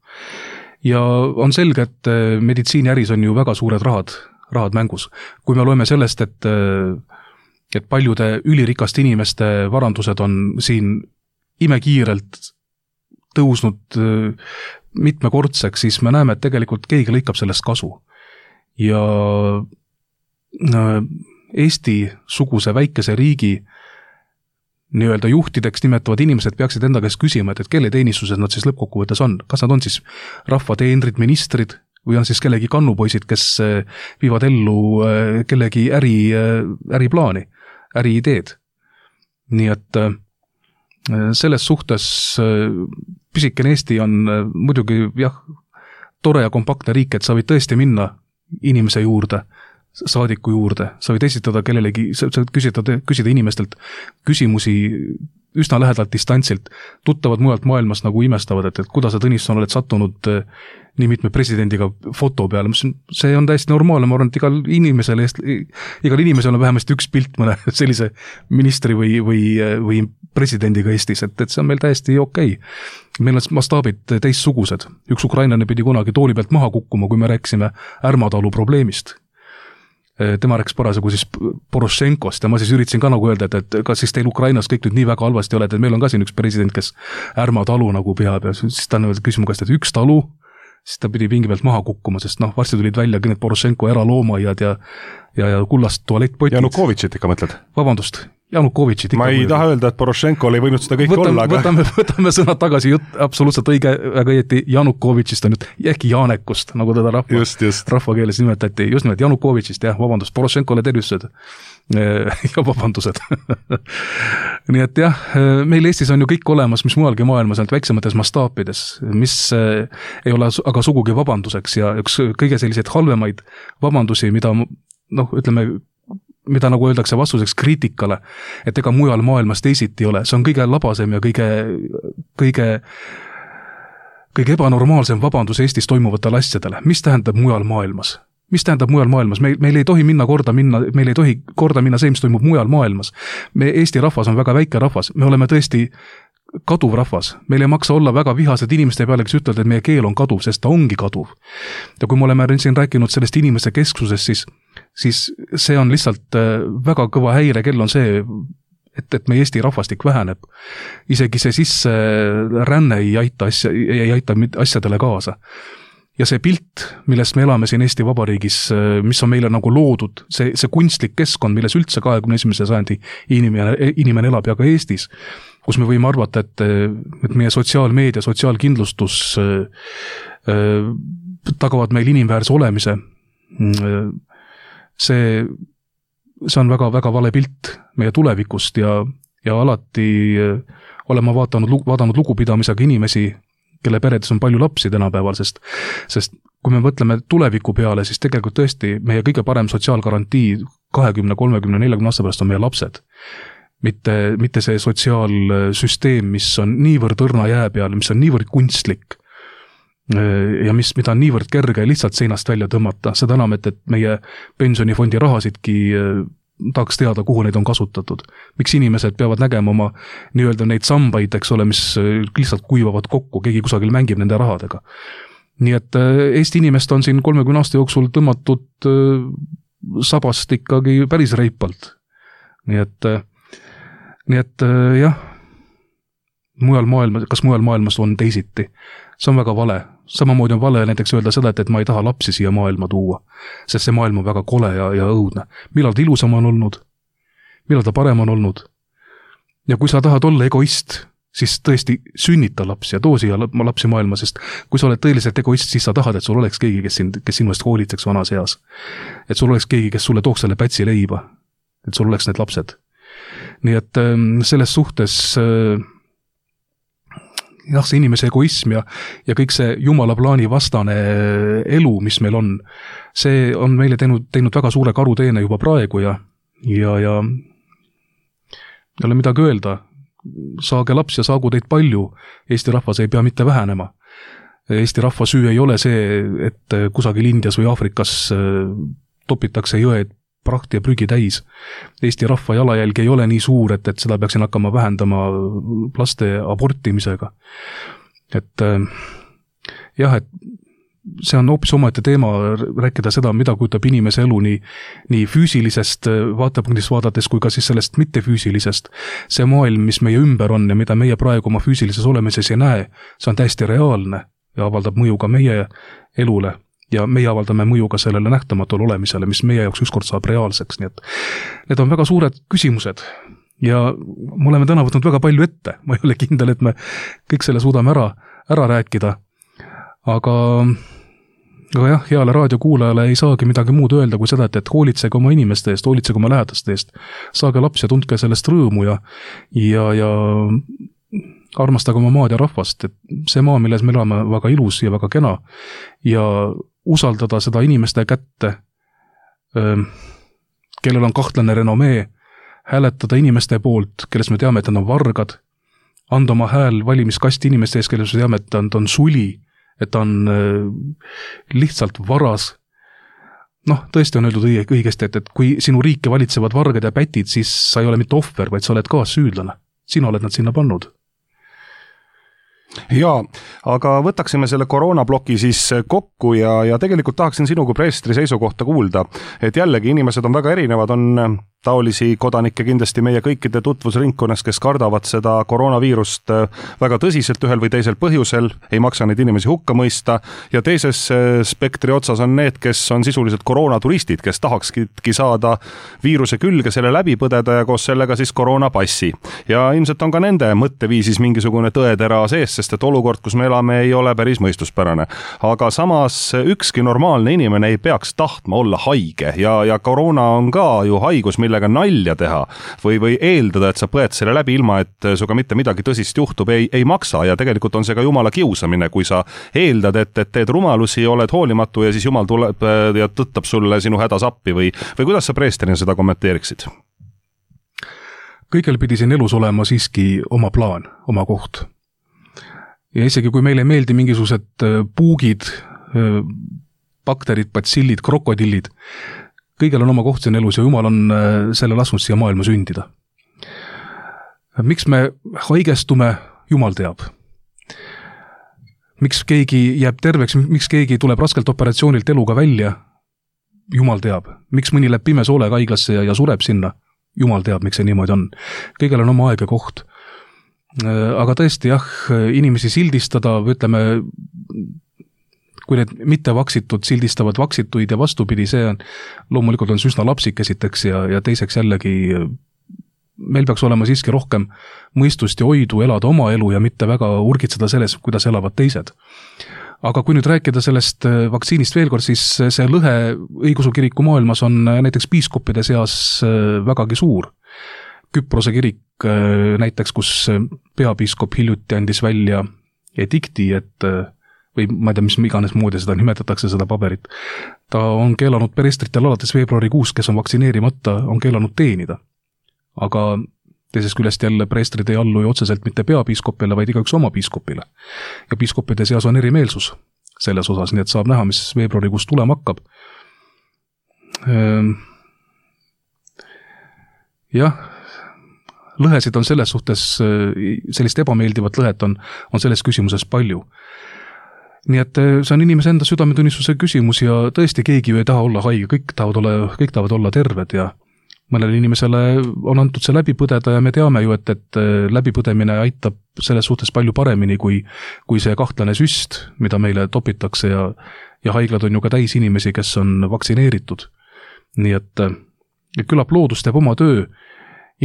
Ja on selge, et meditsiiniäris on ju väga suured rahad, rahad mängus. Kui me loeme sellest, et et paljude ülirikaste inimeste varandused on siin imekiirelt tõusnud mitmekordseks, siis me näeme, et tegelikult keegi lõikab sellest kasu. Ja Eesti-suguse väikese riigi nii-öelda juhtideks nimetavad inimesed peaksid enda käest küsima, et, et kelle teenistuses nad siis lõppkokkuvõttes on. Kas nad on siis rahvateenrid, ministrid, või on siis kellegi kannupoisid, kes viivad ellu kellegi äri, äriplaani, äriideed. Nii et selles suhtes pisikene Eesti on muidugi jah, tore ja kompaktne riik, et sa võid tõesti minna inimese juurde, saadiku juurde, sa võid esitada kellelegi, sa võid küsida, küsida inimestelt küsimusi üsna lähedalt distantsilt, tuttavad mujalt maailmast nagu imestavad, et, et kuidas sa, Tõnisson, oled sattunud nii mitme presidendiga foto peale. See on täiesti normaalne, ma arvan, et igal inimesel, igal inimesel on vähemasti üks pilt mõne sellise ministri või, või, või presidendiga Eestis, et, et see on meil täiesti okei. Meil on mastaabid teistsugused. Üks ukrainlane pidi kunagi tooli pealt maha kukkuma, kui me rääkisime Ärmatalu probleemist. Tema rääkis parasjagu siis Porošenkost ja ma siis üritasin ka nagu öelda, et, et kas siis teil Ukrainas kõik nüüd nii väga halvasti oled, et meil on ka siin üks president, kes Ärmatalu nagu peab ja siis ta küsima käest, et üks talu, siis ta pidi pingi pealt maha kukkuma, sest noh, varsti tulid välja need Porošenko eraloomaiad ja, ja, ja kullast tualettpotid. Janukovitšit ikka mõtled? Vabandust, Janukovitšit ikka. Ma ei taha öelda, et Porošenkol ei võinud seda kõik võtame, olla, aga... Võtame, võtame sõnad tagasi, jutt absoluutselt õige, väga õieti Janukovitšist on nüüd, äkki Janekust, nagu teda rahva, just, just. rahvakeeles nimetati, just nimelt Janukovitšist, jah, vabandust, Porošenkole tervised ja vabandused. Nii et jah, meil Eestis on ju kõik olemas, mis mujalgi maailmas on väiksemates mastaapides, mis ei ole aga sugugi vabanduseks ja üks kõige selliseid halvemaid vabandusi, mida noh, ütleme, mida nagu öeldakse vastuseks kriitikale, et ega mujal maailmas teisiti ei ole. See on kõige labasem ja kõige, kõige, kõige ebanormaalsem vabandus Eestis toimuvatele asjadele. Mis tähendab mujal maailmas? Mis tähendab mujal maailmas? Meil, meil ei tohi minna korda minna, meil ei tohi korda minna see, mis toimub mujal maailmas. Me, Eesti rahvas on väga väike rahvas. Me oleme tõesti kaduv rahvas. Meil ei maksa olla väga vihased inimeste peale, kes ütlevad, et meie keel on kaduv, sest ta ongi kaduv. Ja kui me oleme siin rääkinud sellest inimese kesksusest, siis, siis see on lihtsalt väga kõva häire, kell on see, et, et meie Eesti rahvastik väheneb. Isegi see sisse ränne ei aita, asja, ei aita asjadele kaasa. Ja see pilt, millest me elame siin Eesti Vabariigis, mis on meile nagu loodud, see, see kunstlik keskkond, milles üldse kahekümne esimese sajandi inimene, inimene elab ja ka Eestis, kus me võime arvata, et, et meie sotsiaalmeedia, sotsiaalkindlustus äh, tagavad meil inimväärse olemise. See, see on väga, väga vale pilt meie tulevikust ja, ja alati olema vaatanud, vaadanud lugupidamisega inimesi, kelle peredes on palju lapsi tänapäeval, sest, sest kui me mõtleme tuleviku peale, siis tegelikult tõesti meie kõige parem sotsiaalgarantii kahekümne, kolmekümne, neljakümne aasta pärast on meie lapsed. Mitte, mitte see sotsiaalsüsteem, mis on niivõrd õrna jää peal, mis on niivõrd kunstlik ja mis, mida on niivõrd kerge lihtsalt seinast välja tõmmata. Seda enam, et, et meie pensionifondi rahasidki tahaks teada, kuhu neid on kasutatud. Miks inimesed peavad nägema oma nii-öelda neid sambaid, eks ole, mis lihtsalt kuivavad kokku, keegi kusagil mängib nende rahadega. Nii et Eesti inimest on siin kolmekümne aasta jooksul tõmmatud sabast ikkagi päris reipalt. Nii et Nii et jah, mujal maailmas, kas mujal maailmas on teisiti? See on väga vale. Samamoodi on vale näiteks öelda seda, et, et ma ei taha lapsi siia maailma tuua, sest see maailm on väga kole ja, ja õudne. Millal ta ilusam on olnud? Millal ta parem on olnud? Ja kui sa tahad olla egoist, siis tõesti sünnita lapsi ja too siia lapsi maailma, sest kui sa oled tõeliselt egoist, siis sa tahad, et sul oleks keegi, kes, sind, kes sinu eest hoolitseks vanas eas. Et sul oleks keegi, kes sulle tooks selle pätsi leiba. Et sul oleks need lapsed. Nii et selles suhtes jah, see inimese egoism ja, ja kõik see Jumala plaani vastane elu, mis meil on, see on meile teinud, teinud väga suure karuteene juba praegu ja, ja, ja ei ole midagi öelda. Saage laps ja saagu teid palju. Eesti rahvas ei pea mitte vähenema. Eesti rahva süü ei ole see, et kusagil Indias või Aafrikas topitakse jõed prahti ja prügi täis. Eesti rahva jalajälg ei ole nii suur, et, et seda peaksin hakkama vähendama laste abortimisega. Et jah, et see on hoopis omaette teema rääkida seda, mida kujutab inimese elu nii, nii füüsilisest vaatepunktist vaadates kui ka siis sellest mittefüüsilisest. See maailm, mis meie ümber on ja mida meie praegu oma füüsilises olemises ei näe, see on täiesti reaalne ja avaldab mõju ka meie elule. Ja meie avaldame mõju ka sellele nähtamatule olemisele, mis meie jaoks ükskord saab reaalseks. Nii et need on väga suured küsimused ja me oleme täna võtnud väga palju ette. Ma ei ole kindel, et me kõik selle suudame ära, ära rääkida. Aga, aga jah, heale raadiokuulajale ei saagi midagi muud öelda kui seda, et, et hoolitsege oma inimeste eest, hoolitsege oma lähedaste eest. Saage laps ja tundke sellest rõõmu ja, ja, ja armastage oma maad ja rahvast. Et see maa, milles me elame, väga ilus ja väga kena ja usaldada seda inimeste kätte, kellel on kahtlane renomee, hääletada inimeste poolt, kelles me teame, et nad on vargad, anda oma hääl valimiskasti inimeste ees, kelles me teame, et ta on, ta on suli, et ta on lihtsalt varas. Noh, tõesti on öeldud õigesti, et, et kui sinu riike valitsevad vargad ja pätid, siis sa ei ole mitte ohver, vaid sa oled ka süüdlane. Sina oled nad sinna pannud. Jaa, aga võtaksime selle koroonabloki siis kokku ja, ja tegelikult tahaksin sinu kui preestri seisukohta kuulda, et jällegi inimesed on väga erinevad, on taolisi kodanikke kindlasti meie kõikide tutvusringkonnas, kes kardavad seda koroonaviirust väga tõsiselt ühel või teisel põhjusel, ei maksa neid inimesi hukka mõista ja teises spektri otsas on need, kes on sisuliselt koroonaturistid, kes tahakski saada viiruse külge, selle läbi põdeda ja koos sellega siis koroonapassi. Ja ilmselt on ka nende mõtteviisis mingisugune tõetera sees, sest et olukord, kus me elame, ei ole päris mõistuspärane. Aga samas ükski normaalne inimene ei peaks tahtma olla haige ja, ja koroona on ka ju haigus, millega nalja teha või, või eeldada, et sa põed selle läbi ilma, et suga mitte midagi tõsist juhtub, ei, ei maksa ja tegelikult on see ka jumala kiusamine, kui sa eeldad, et, et teed rumalusi, oled hoolimatu ja siis jumal tuleb ja tõttab sulle sinu hädas appi või, või kuidas sa preesterina seda kommenteeriksid? Kõigel pidi siin elus olema siiski oma plaan, oma koht. Ja isegi kui meile ei meeldi mingisugused puugid, bakterid, batsillid, krokodillid, kõigel on oma koht siin elus ja Jumal on selle lasknud siia maailma sündida. Miks me haigestume Jumal teab. Miks keegi jääb terveks, miks keegi tuleb raskelt operatsioonilt eluga välja? Jumal teab. Miks mõni läheb pime soolega haiglasse ja, ja sureb sinna? Jumal teab, miks see niimoodi on. Kõigel on oma aeg ja koht. Aga tõesti jah, inimesi sildistada, ütleme, kui need mitte vaksitud sildistavad vaksituid ja vastupidi, see on, loomulikult on see üsna lapsik esiteks ja, ja teiseks jällegi meil peaks olema siiski rohkem mõistust ja oidu elada oma elu ja mitte väga urgitseda selles, kuidas elavad teised. Aga kui nüüd rääkida sellest vaktsiinist veel kord, siis see lõhe õigeusu kiriku maailmas on näiteks piiskopide seas vägagi suur. Küprose kirik näiteks, kus peapiiskop hiljuti andis välja edikti, et või ma ei tea, mis iganes moodi seda nimetatakse, seda paberit. Ta on keelanud preestritel alates veebruarikuus, kes on vaktsineerimata, on keelanud teenida. Aga teisest küljest jälle preestrid ei allu ju otseselt mitte peapiiskopile, vaid igaüks oma piiskopile. Ja piiskopide seas on erimeelsus selles osas, nii et saab näha, mis veebruarikuus tulema hakkab. Jah, lõhesid on selles suhtes, sellist ebameeldivat lõhet on, on selles küsimuses palju. Nii et see on inimese enda südametunnistuse küsimus ja tõesti keegi ju ei taha olla haige, kõik tahavad olla, kõik tahavad olla terved ja mõnele inimesele on antud see läbi põdeda ja me teame ju, et, et läbipõdemine aitab selles suhtes palju paremini kui, kui see kahtlane süst, mida meile topitakse ja, ja haiglad on ju ka täis inimesi, kes on vaktsineeritud. Nii et, et küllap loodus teeb oma töö.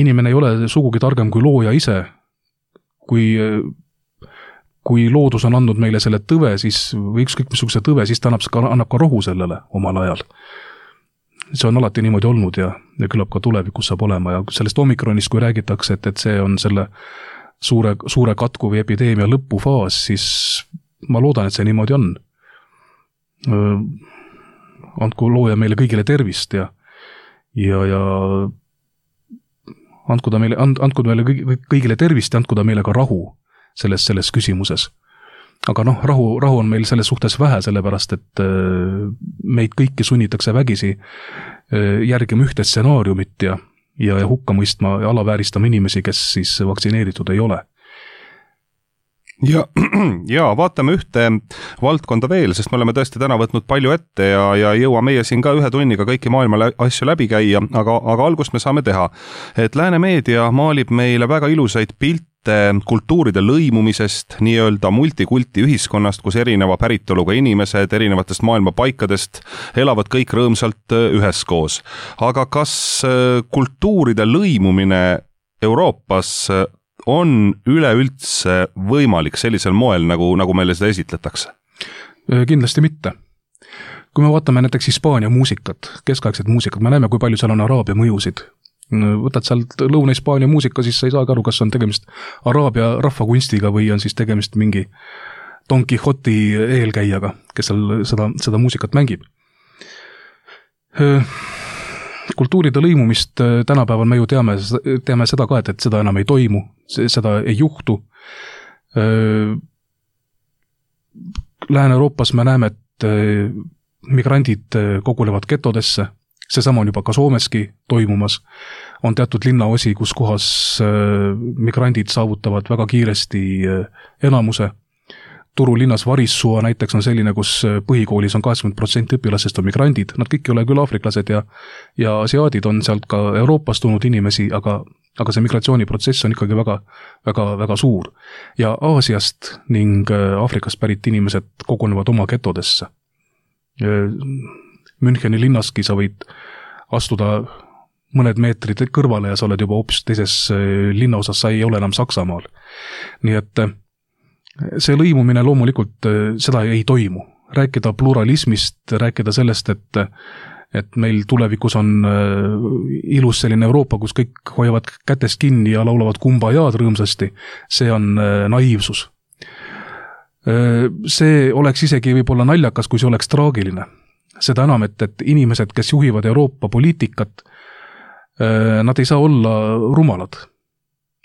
Inimene ei ole sugugi targem kui looja ise. Kui, kui loodus on andnud meile selle tõve, siis, või ükskõik missuguse tõve, siis ta annab, annab ka rohu sellele omal ajal. See on alati niimoodi olnud ja, ja küllap ka tulevikus saab olema ja sellest omikronist, kui räägitakse, et, et see on selle suure, suure katku või epideemia lõpufaas, siis ma loodan, et see niimoodi on. Andku looja meile kõigile tervist ja, ja, ja andku ta meile, and, andku meile kõigile tervist ja andku ta meile ka rahu selles, selles küsimuses. Aga noh, rahu, rahu on meil selles suhtes vähe, sellepärast, et meid kõiki sunnitakse vägisi järgima ühte stsenaariumit ja, ja, ja hukka mõistma ja alavääristama inimesi, kes siis vaktsineeritud ei ole. Ja, ja vaatame ühte valdkonda veel, sest me oleme tõesti täna võtnud palju ette ja, ja jõua meie siin ka ühe tunniga kõiki maailma asju läbi käia, aga, aga algust me saame teha. Et lääne meedia maalib meile väga ilusaid pilte kultuuride lõimumisest, nii-öelda multikulti ühiskonnast, kus erineva päritoluga inimesed erinevatest maailma paikadest elavad kõik rõõmsalt üheskoos. Aga kas kultuuride lõimumine Euroopas on üleüldse võimalik sellisel moel, nagu, nagu meile seda esitletakse? Kindlasti mitte. Kui me vaatame näiteks Hispaania muusikat, keskaegset muusikat, me näeme, kui palju seal on araabia mõjusid. Võtad sealt Lõuna-Hispaania muusika, siis sa ei saa aru, kas on tegemist araabia rahvakunstiga või on siis tegemist mingi Don Quixoti eelkäijaga, kes seal seda, seda muusikat mängib. Kultuuride lõimumist tänapäeval me ju teame, teame seda ka, et, et seda enam ei toimu, seda ei juhtu. Lääne-Euroopas me näeme, et migrandid kogunevad getodesse, seesama on juba ka Soomeski toimumas, on teatud linnaosi, kus kohas migrandid saavutavad väga kiiresti enamuse. Turu linnas Varissua näiteks on selline, kus põhikoolis on kaheksakümmend protsenti õpilasest on migrandid, nad kõik ei ole küll aafriklased ja, ja asiaadid on sealt ka Euroopast tulnud inimesi, aga, aga see migratsiooniprotsess on ikkagi väga, väga, väga suur. Ja Aasiast ning Aafrikast pärit inimesed kogunevad oma getodesse. Müncheni linnaski sa võid astuda mõned meetrid kõrvale ja sa oled juba hoopis teises linnaosas, sa ei ole enam Saksamaal. Nii et see lõimumine loomulikult seda ei toimu. Rääkida pluralismist, rääkida sellest, et, et meil tulevikus on ilus selline Euroopa, kus kõik hoiavad kätest kinni ja laulavad kumbajaad rõõmsasti, see on naiivsus. See oleks isegi võib-olla naljakas, kui see oleks traagiline. Seda enam, et, et inimesed, kes juhivad Euroopa poliitikat, nad ei saa olla rumalad.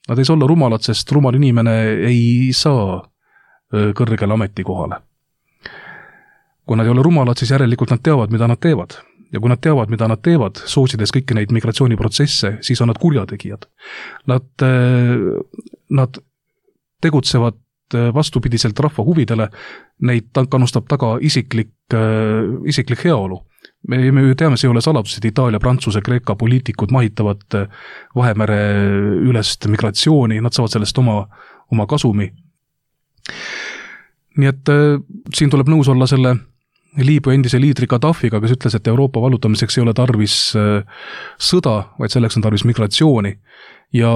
Nad ei saa olla rumalad, sest rumal inimene ei saa kõrgele ametikohale. Kui nad ei ole rumalad, siis järelikult nad teavad, mida nad teevad. Ja kui nad teavad, mida nad teevad, soosides kõiki neid migratsiooniprotsesse, siis on nad kurjategijad. Nad, nad tegutsevad vastupidiselt rahva huvidele, neid kannustab taga isiklik, isiklik heaolu. Me, me ju teame, see ei ole saladus, et Itaalia, Prantsuse, Kreeka poliitikud mahitavad Vahemere ülest migratsiooni, nad saavad sellest oma, oma kasumi. Nii et siin tuleb nõus olla selle Liibüa endise liidri Gaddafiga, kes ütles, et Euroopa vallutamiseks ei ole tarvis sõda, vaid selleks on tarvis migratsiooni. Ja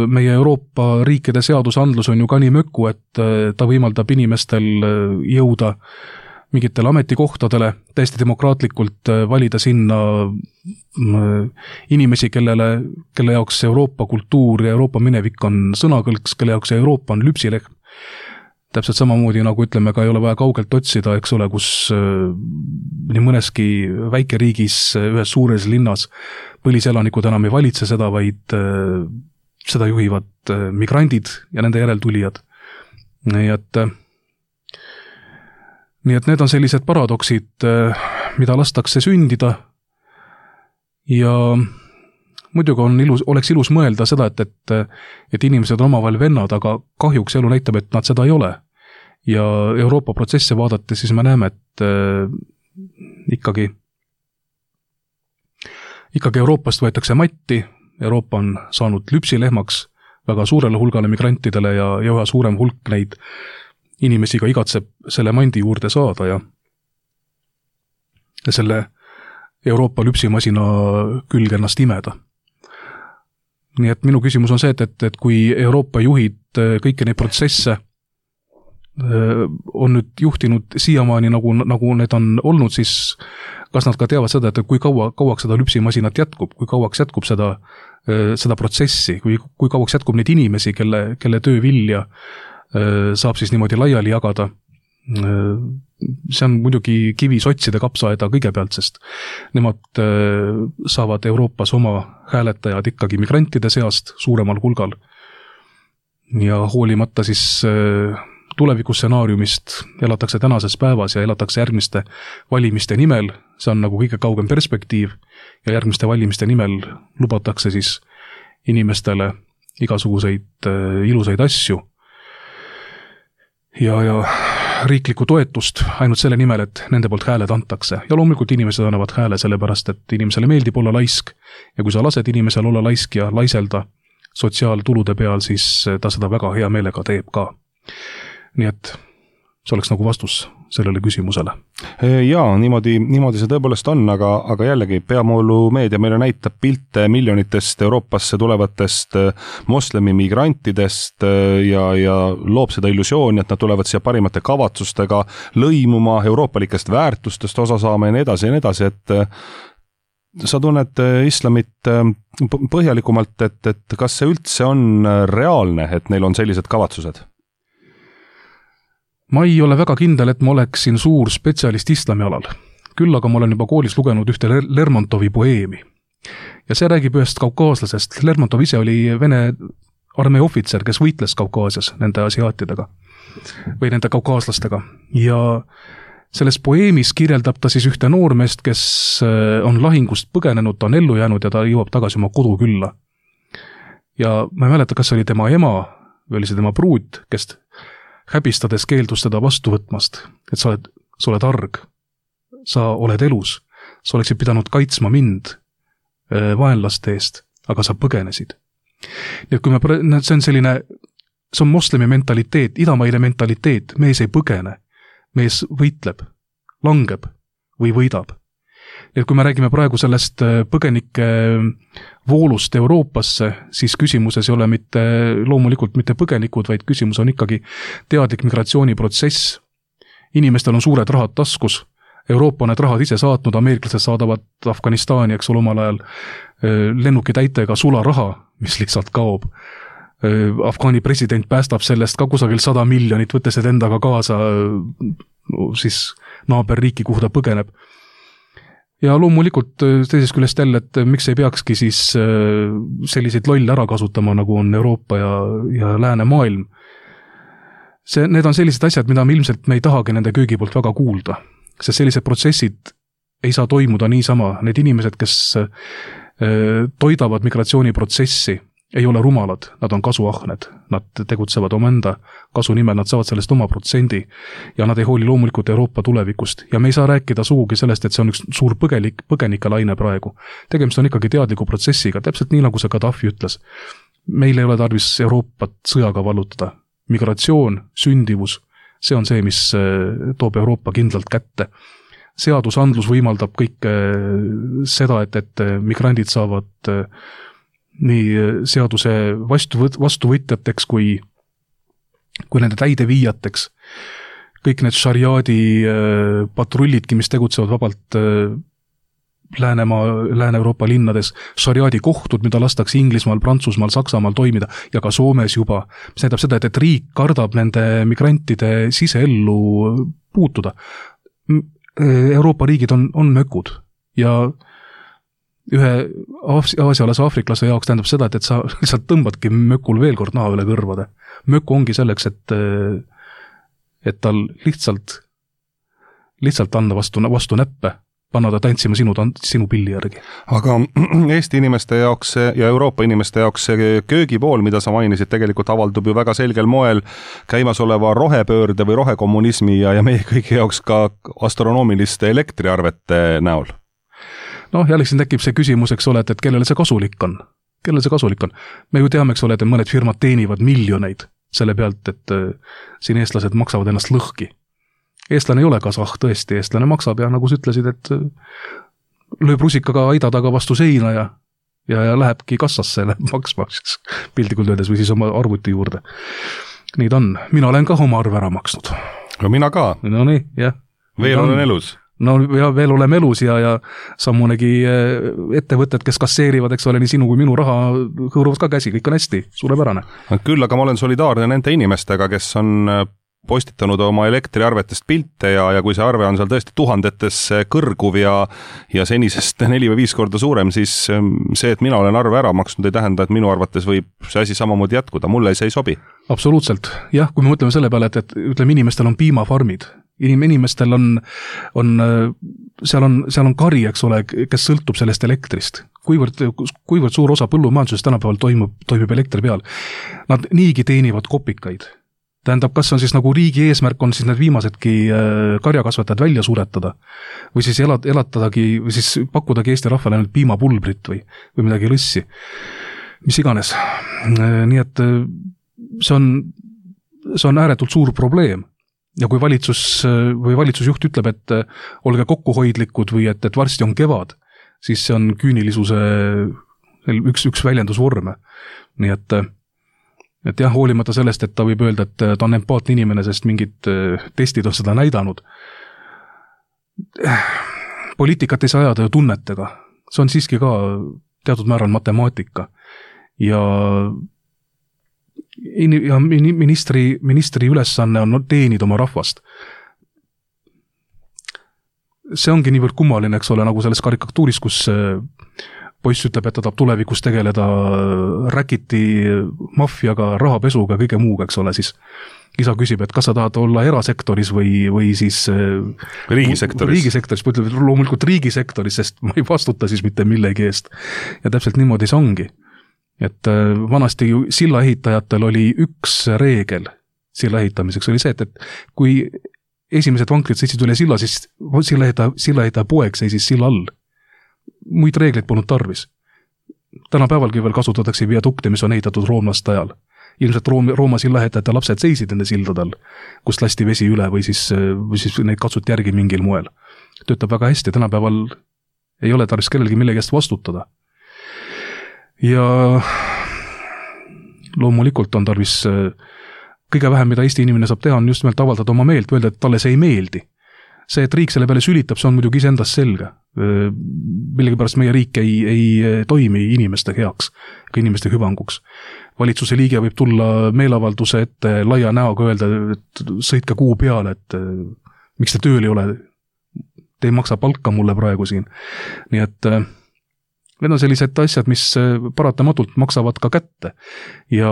meie Euroopa riikide seadusandlus on ju ka nii mökku, et ta võimaldab inimestel jõuda mingitele ametikohtadele, täiesti demokraatlikult valida sinna inimesi, kellele, kelle jaoks Euroopa kultuur ja Euroopa minevik on sõnakõlks, kelle jaoks Euroopa on lüpsilehm. Täpselt samamoodi, nagu ütleme, ka ei ole vaja kaugelt otsida, eks ole, kus nii mõneski väikeriigis, ühes suures linnas põliselanikud enam ei valitse seda, vaid seda juhivad migrandid ja nende järeltulijad. Nii et, nii et need on sellised paradoksid, mida lastakse sündida ja muidugi on ilus, oleks ilus mõelda seda, et, et, et inimesed on omavahel vennad, aga kahjuks elu näitab, et nad seda ei ole. Ja Euroopa protsesse vaadates siis me näeme, et äh, ikkagi, ikkagi Euroopast võetakse matti, Euroopa on saanud lüpsilehmaks väga suurele hulgale migrantidele ja, ja üha suurem hulk neid inimesi ka igatseb selle mandi juurde saada ja, ja selle Euroopa lüpsimasina külge ennast imeda. Nii et minu küsimus on see, et, et, et kui Euroopa juhid kõiki neid protsesse on nüüd juhtinud siiamaani, nagu, nagu need on olnud, siis kas nad ka teavad seda, et kui kaua, kauaks seda lüpsimasinat jätkub, kui kauaks jätkub seda, seda protsessi, kui, kui kauaks jätkub neid inimesi, kelle, kelle töö vilja saab siis niimoodi laiali jagada. See on muidugi kivi sotside kapsaaeda kõigepealt, sest nemad saavad Euroopas oma hääletajad ikkagi migrantide seast suuremal hulgal ja hoolimata siis tulevikustsenaariumist elatakse tänases päevas ja elatakse järgmiste valimiste nimel, see on nagu kõige kaugem perspektiiv ja järgmiste valimiste nimel lubatakse siis inimestele igasuguseid ilusaid asju ja, ja riiklikku toetust ainult selle nimel, et nende poolt hääled antakse. Ja loomulikult inimesed annavad hääle sellepärast, et inimesele meeldib olla laisk ja kui sa lased inimesel olla laisk ja laiselda sotsiaaltulude peal, siis ta seda väga hea meelega teeb ka. Nii et see oleks nagu vastus sellele küsimusele. Jaa, niimoodi, niimoodi see tõepoolest on, aga, aga jällegi peamoolu meedia meile näitab pilte miljonitest Euroopasse tulevatest moslemi migrantidest ja, ja loob seda illusiooni, et nad tulevad siia parimate kavatsustega lõimuma, euroopalikest väärtustest osa saama ja nii edasi ja nii edasi, et sa tunned islamit põhjalikumalt, et, et kas see üldse on reaalne, et neil on sellised kavatsused? Ma ei ole väga kindel, et ma oleksin suur spetsialist islami alal. Küll aga ma olen juba koolis lugenud ühte Lermontovi poeemi. Ja see räägib ühest kaukaaslasest. Lermontov ise oli Vene armee ohvitser, kes võitles Kaukaasias nende asiaatidega või nende kaukaaslastega. Ja selles poeemis kirjeldab ta siis ühte noormeest, kes on lahingust põgenenud, ta on ellu jäänud ja ta jõuab tagasi oma kodu külla. Ja ma ei mäleta, kas oli tema ema või oli see tema pruut, kes häbistades keeldus teda vastu võtmast, et sa oled, sa oled arg, sa oled elus, sa oleksid pidanud kaitsma mind vaenlaste eest, aga sa põgenesid. Nii et kui me, see on selline, see on moslemi mentaliteet, idamaine mentaliteet, mees ei põgene, mees võitleb, langeb või võidab. Nii et kui me räägime praegu sellest põgenike voolust Euroopasse, siis küsimuses ei ole mitte, loomulikult mitte põgenikud, vaid küsimus on ikkagi teadlik migratsiooniprotsess. Inimestel on suured rahad taskus, Euroopa on need rahad ise saatnud, ameeriklased saadavad Afganistani, eks ole, omal ajal lennuki täitega sularaha, mis lihtsalt kaob. Afgaani president päästab sellest ka kusagil sada miljonit, võttes need endaga kaasa siis naaberriiki, kuhu ta põgeneb. Ja loomulikult teisest küljest jälle, et miks ei peakski siis selliseid lolle ära kasutama, nagu on Euroopa ja, ja lääne maailm. See, need on sellised asjad, mida me ilmselt me ei tahagi nende köögi poolt väga kuulda, sest sellised protsessid ei saa toimuda niisama. Need inimesed, kes toidavad migratsiooniprotsessi, ei ole rumalad, nad on kasuahned, nad tegutsevad omaenda kasu nimel, nad saavad sellest oma protsendi ja nad ei hooli loomulikult Euroopa tulevikust ja me ei saa rääkida sugugi sellest, et see on üks suur põgenik, põgenikelaine praegu. Tegemist on ikkagi teadliku protsessiga, täpselt nii nagu see Gaddafi ütles. Meil ei ole tarvis Euroopat sõjaga vallutada. Migratsioon, sündivus, see on see, mis toob Euroopa kindlalt kätte. Seadusandlus võimaldab kõike seda, et, et migrandid saavad nii seaduse vastu, vastuvõtjateks kui, kui nende täideviijateks. Kõik need šariaadi patrullidki, mis tegutsevad vabalt Läänemaa, Lääne-Euroopa linnades, šariaadi kohtud, mida lastakse Inglismaal, Prantsusmaal, Saksamaal toimida ja ka Soomes juba. See näitab seda, et, et riik kardab nende migrantide siseellu puutuda. Euroopa riigid on, on mökud ja ühe aasialase aafriklase jaoks tähendab seda, et, et sa lihtsalt tõmbadki mökul veel kord naha üle kõrvade. Möku ongi selleks, et, et tal lihtsalt, lihtsalt anda vastu, vastu näppe, panna ta tantsima sinu, sinu pilli järgi. Aga Eesti inimeste jaoks ja Euroopa inimeste jaoks see köögipool, mida sa mainisid, tegelikult avaldub ju väga selgel moel käimasoleva rohepöörde või rohekommunismi ja, ja meie kõigi jaoks ka astronoomiliste elektriarvete näol. Noh, jällegi siin tekib see küsimus, eks ole, et, et kellele see kasulik on. Kellele see kasulik on? Me ju teame, eks ole, et mõned firmad teenivad miljoneid selle pealt, et siin eestlased maksavad ennast lõhki. Eestlane ei ole kasah, tõesti, eestlane maksab ja nagu sa ütlesid, et lööb rusikaga aida taga vastu seina ja, ja, ja lähebki kassasse maksma pildikult öeldes või siis oma arvuti juurde. Nii ta on. Mina olen ka oma arve ära maksnud. No mina ka. No nii, jah. Veel olen elus. No ja veel oleme elus ja, ja sammunegi ettevõtted, kes kasseerivad, eks ole, nii sinu kui minu raha hõõruvad ka käsi, kõik on hästi, suurepärane. Küll, aga ma olen solidaarne nende inimestega, kes on postitanud oma elektriarvetest pilte ja, ja kui see arve on seal tõesti tuhandetes kõrguv ja, ja senisest neli või viis korda suurem, siis see, et mina olen arve ära maksnud, ei tähenda, et minu arvates võib see asi samamoodi jätkuda. Mulle see ei sobi. Absoluutselt. Jah, kui me mõtleme selle peale, et, et ütleme, inimestel on piimafarmid. Inim, inimestel on, on, seal on, seal on kari, eks ole, kes sõltub sellest elektrist. Kuivõrd, kuivõrd suur osa põllumajandusest tänapäeval toimub, toimub elektri peal. Nad niigi teenivad kopikaid. Tähendab, kas on siis nagu riigi eesmärk on siis need viimasedki karjakasvatajad välja suretada või siis elat, elatadagi või siis pakkudagi Eesti rahvale ainult piimapulbrit või, või midagi lõssi, mis iganes. Nii et see on, see on ääretult suur probleem. Ja kui valitsus või valitsusjuht ütleb, et olge kokkuhoidlikud või et, et varsti on kevad, siis see on küünilisuse üks, üks väljendusvorme. Nii et, et jah, hoolimata sellest, et ta võib öelda, et ta on empaatne inimene, sest mingid testid on seda näidanud. Poliitikat ei saa ajada ju tunnetega. See on siiski ka teatud määral matemaatika. Ja ja ministri, ministri ülesanne on teenida oma rahvast. See ongi niivõrd kummaline, eks ole, nagu selles karikatuuris, kus poiss ütleb, et ta tahab tulevikus tegeleda räkiti, maffiaga, rahapesuga, kõige muuga, eks ole, siis isa küsib, et kas sa tahad olla erasektoris või, või siis riigisektoris. Riigisektoris, ma ütleb, loomulikult riigisektoris, sest ma ei vastuta siis mitte millegi eest. Ja täpselt niimoodi see ongi. Et vanasti silla ehitajatel oli üks reegel silla ehitamiseks, oli see, et, et kui esimesed vankrid sõitsid üle silla, siis silla ehitaja, silla ehitaja poeg seisis silla all. Muid reegleid polnud tarvis. Tänapäevalgi veel kasutatakse viadukte, mis on ehitatud roomlaste ajal. Ilmselt Rooma, Rooma silla ehitajate lapsed seisid enne sildadel, kust lasti vesi üle või siis, või siis neid katsuti järgi mingil moel. Töötab väga hästi, tänapäeval ei ole tarvis kellelgi millegi eest vastutada. Ja loomulikult on tarvis kõige vähem, mida Eesti inimene saab teha, on just nimelt avaldada oma meelt, öelda, et talle see ei meeldi. See, et riik selle peale sülitab, see on muidugi iseendast selge. Millegipärast meie riik ei, ei toimi inimeste heaks, ka inimeste hüvanguks. Valitsuse liige võib tulla meelavalduse ette laia näoga öelda, et sõitke kuu peale, et miks te tööl ei ole, te ei maksa palka mulle praegu siin. Nii et need on sellised asjad, mis paratamatult maksavad ka kätte ja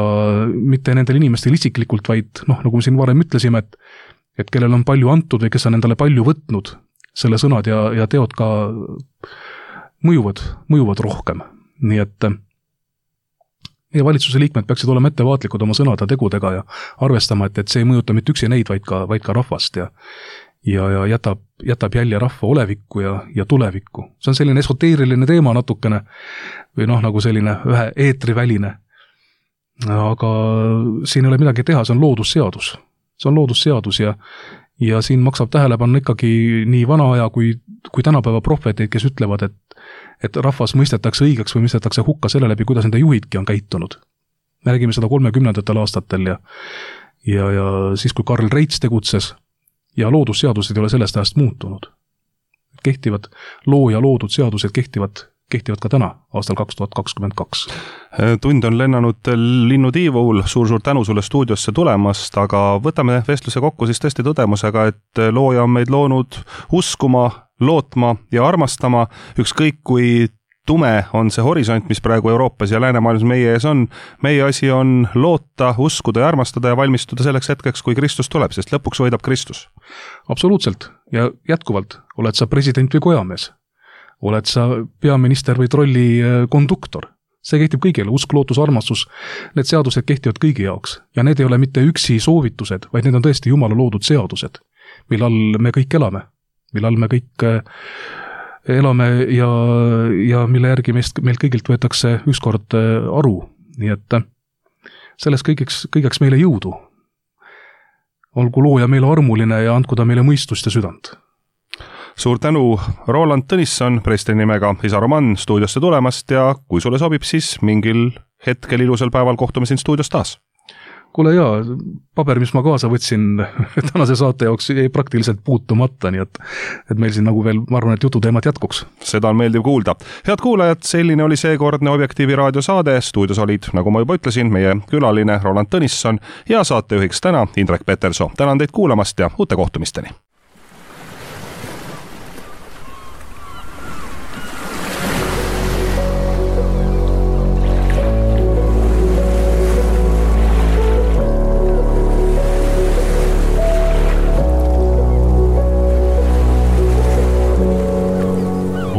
mitte nendel inimestel isiklikult, vaid noh, nagu me siin varem ütlesime, et, et kellel on palju antud või kes on endale palju võtnud, selle sõnad ja, ja teod ka mõjuvad, mõjuvad rohkem. Nii et meie valitsuse liikmed peaksid olema ettevaatlikud oma sõnade ja tegudega ja arvestama, et, et see ei mõjuta mitte üksi neid, vaid ka, vaid ka rahvast ja ja, ja jätab, jätab jälje rahva olevikku ja, ja tulevikku. See on selline esoteeriline teema natukene või noh, nagu selline ühe eetriväline. Aga siin ei ole midagi teha, see on loodusseadus. See on loodusseadus ja, ja siin maksab tähelepanna ikkagi nii vana aja kui, kui tänapäeva prohveteid, kes ütlevad, et et rahvas mõistetakse õigeks või mõistetakse hukka selle läbi, kuidas nende juhidki on käitunud. Me räägime seda kolmekümnendatel aastatel ja, ja, ja siis, kui Karl Reits tegutses ja loodusseadused ei ole sellest ajast muutunud. Kehtivad loo ja loodud seadused kehtivad, kehtivad ka täna, aastal kaks tuhat kakskümmend kaks. Tund on lennanud Linnu Tiivul, suur-suur tänu sulle stuudiosse tulemast, aga võtame vestluse kokku siis tõesti tõdemusega, et looja on meid loonud uskuma, lootma ja armastama, ükskõik kui tume on see horisont, mis praegu Euroopas ja läänemaailmas meie ees on. Meie asi on loota, uskuda ja armastada ja valmistuda selleks hetkeks, kui Kristus tuleb, sest lõpuks võidab Kristus. Absoluutselt. Ja jätkuvalt, oled sa president või kojamees? Oled sa peaminister või trolli konduktor? See kehtib kõigile, usk, lootus, armastus. Need seadused kehtivad kõigi jaoks. Ja need ei ole mitte üksi soovitused, vaid need on tõesti Jumala loodud seadused, millal me kõik elame. Millal me kõik elame ja, ja mille järgi meist, meilt kõigilt võetakse ükskord aru. Nii et selles kõigeks, kõigeks meile jõudu. Olgu looja meile armuline ja andku ta meile mõistust ja südant. Suur tänu, Roland Tõnisson, presten nimega Isa Roman stuudiosse tulemast ja kui sulle sobib, siis mingil hetkel ilusal päeval kohtume siin stuudios taas. Kuule jaa, paber, mis ma kaasa võtsin tänase saate jaoks jäi praktiliselt puutumata, nii et, et meil siin nagu veel, ma arvan, et jututeemat jätkuks. Seda on meeldiv kuulda. Head kuulajad, selline oli seekordne Objektiivi raadiosaade. Stuudios olid, nagu ma juba ütlesin, meie külaline Roland Tõnisson ja saatejuhiks täna Indrek Petersoo. Tänan teid kuulamast ja uute kohtumisteni.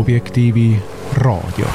Objektiivi raadio.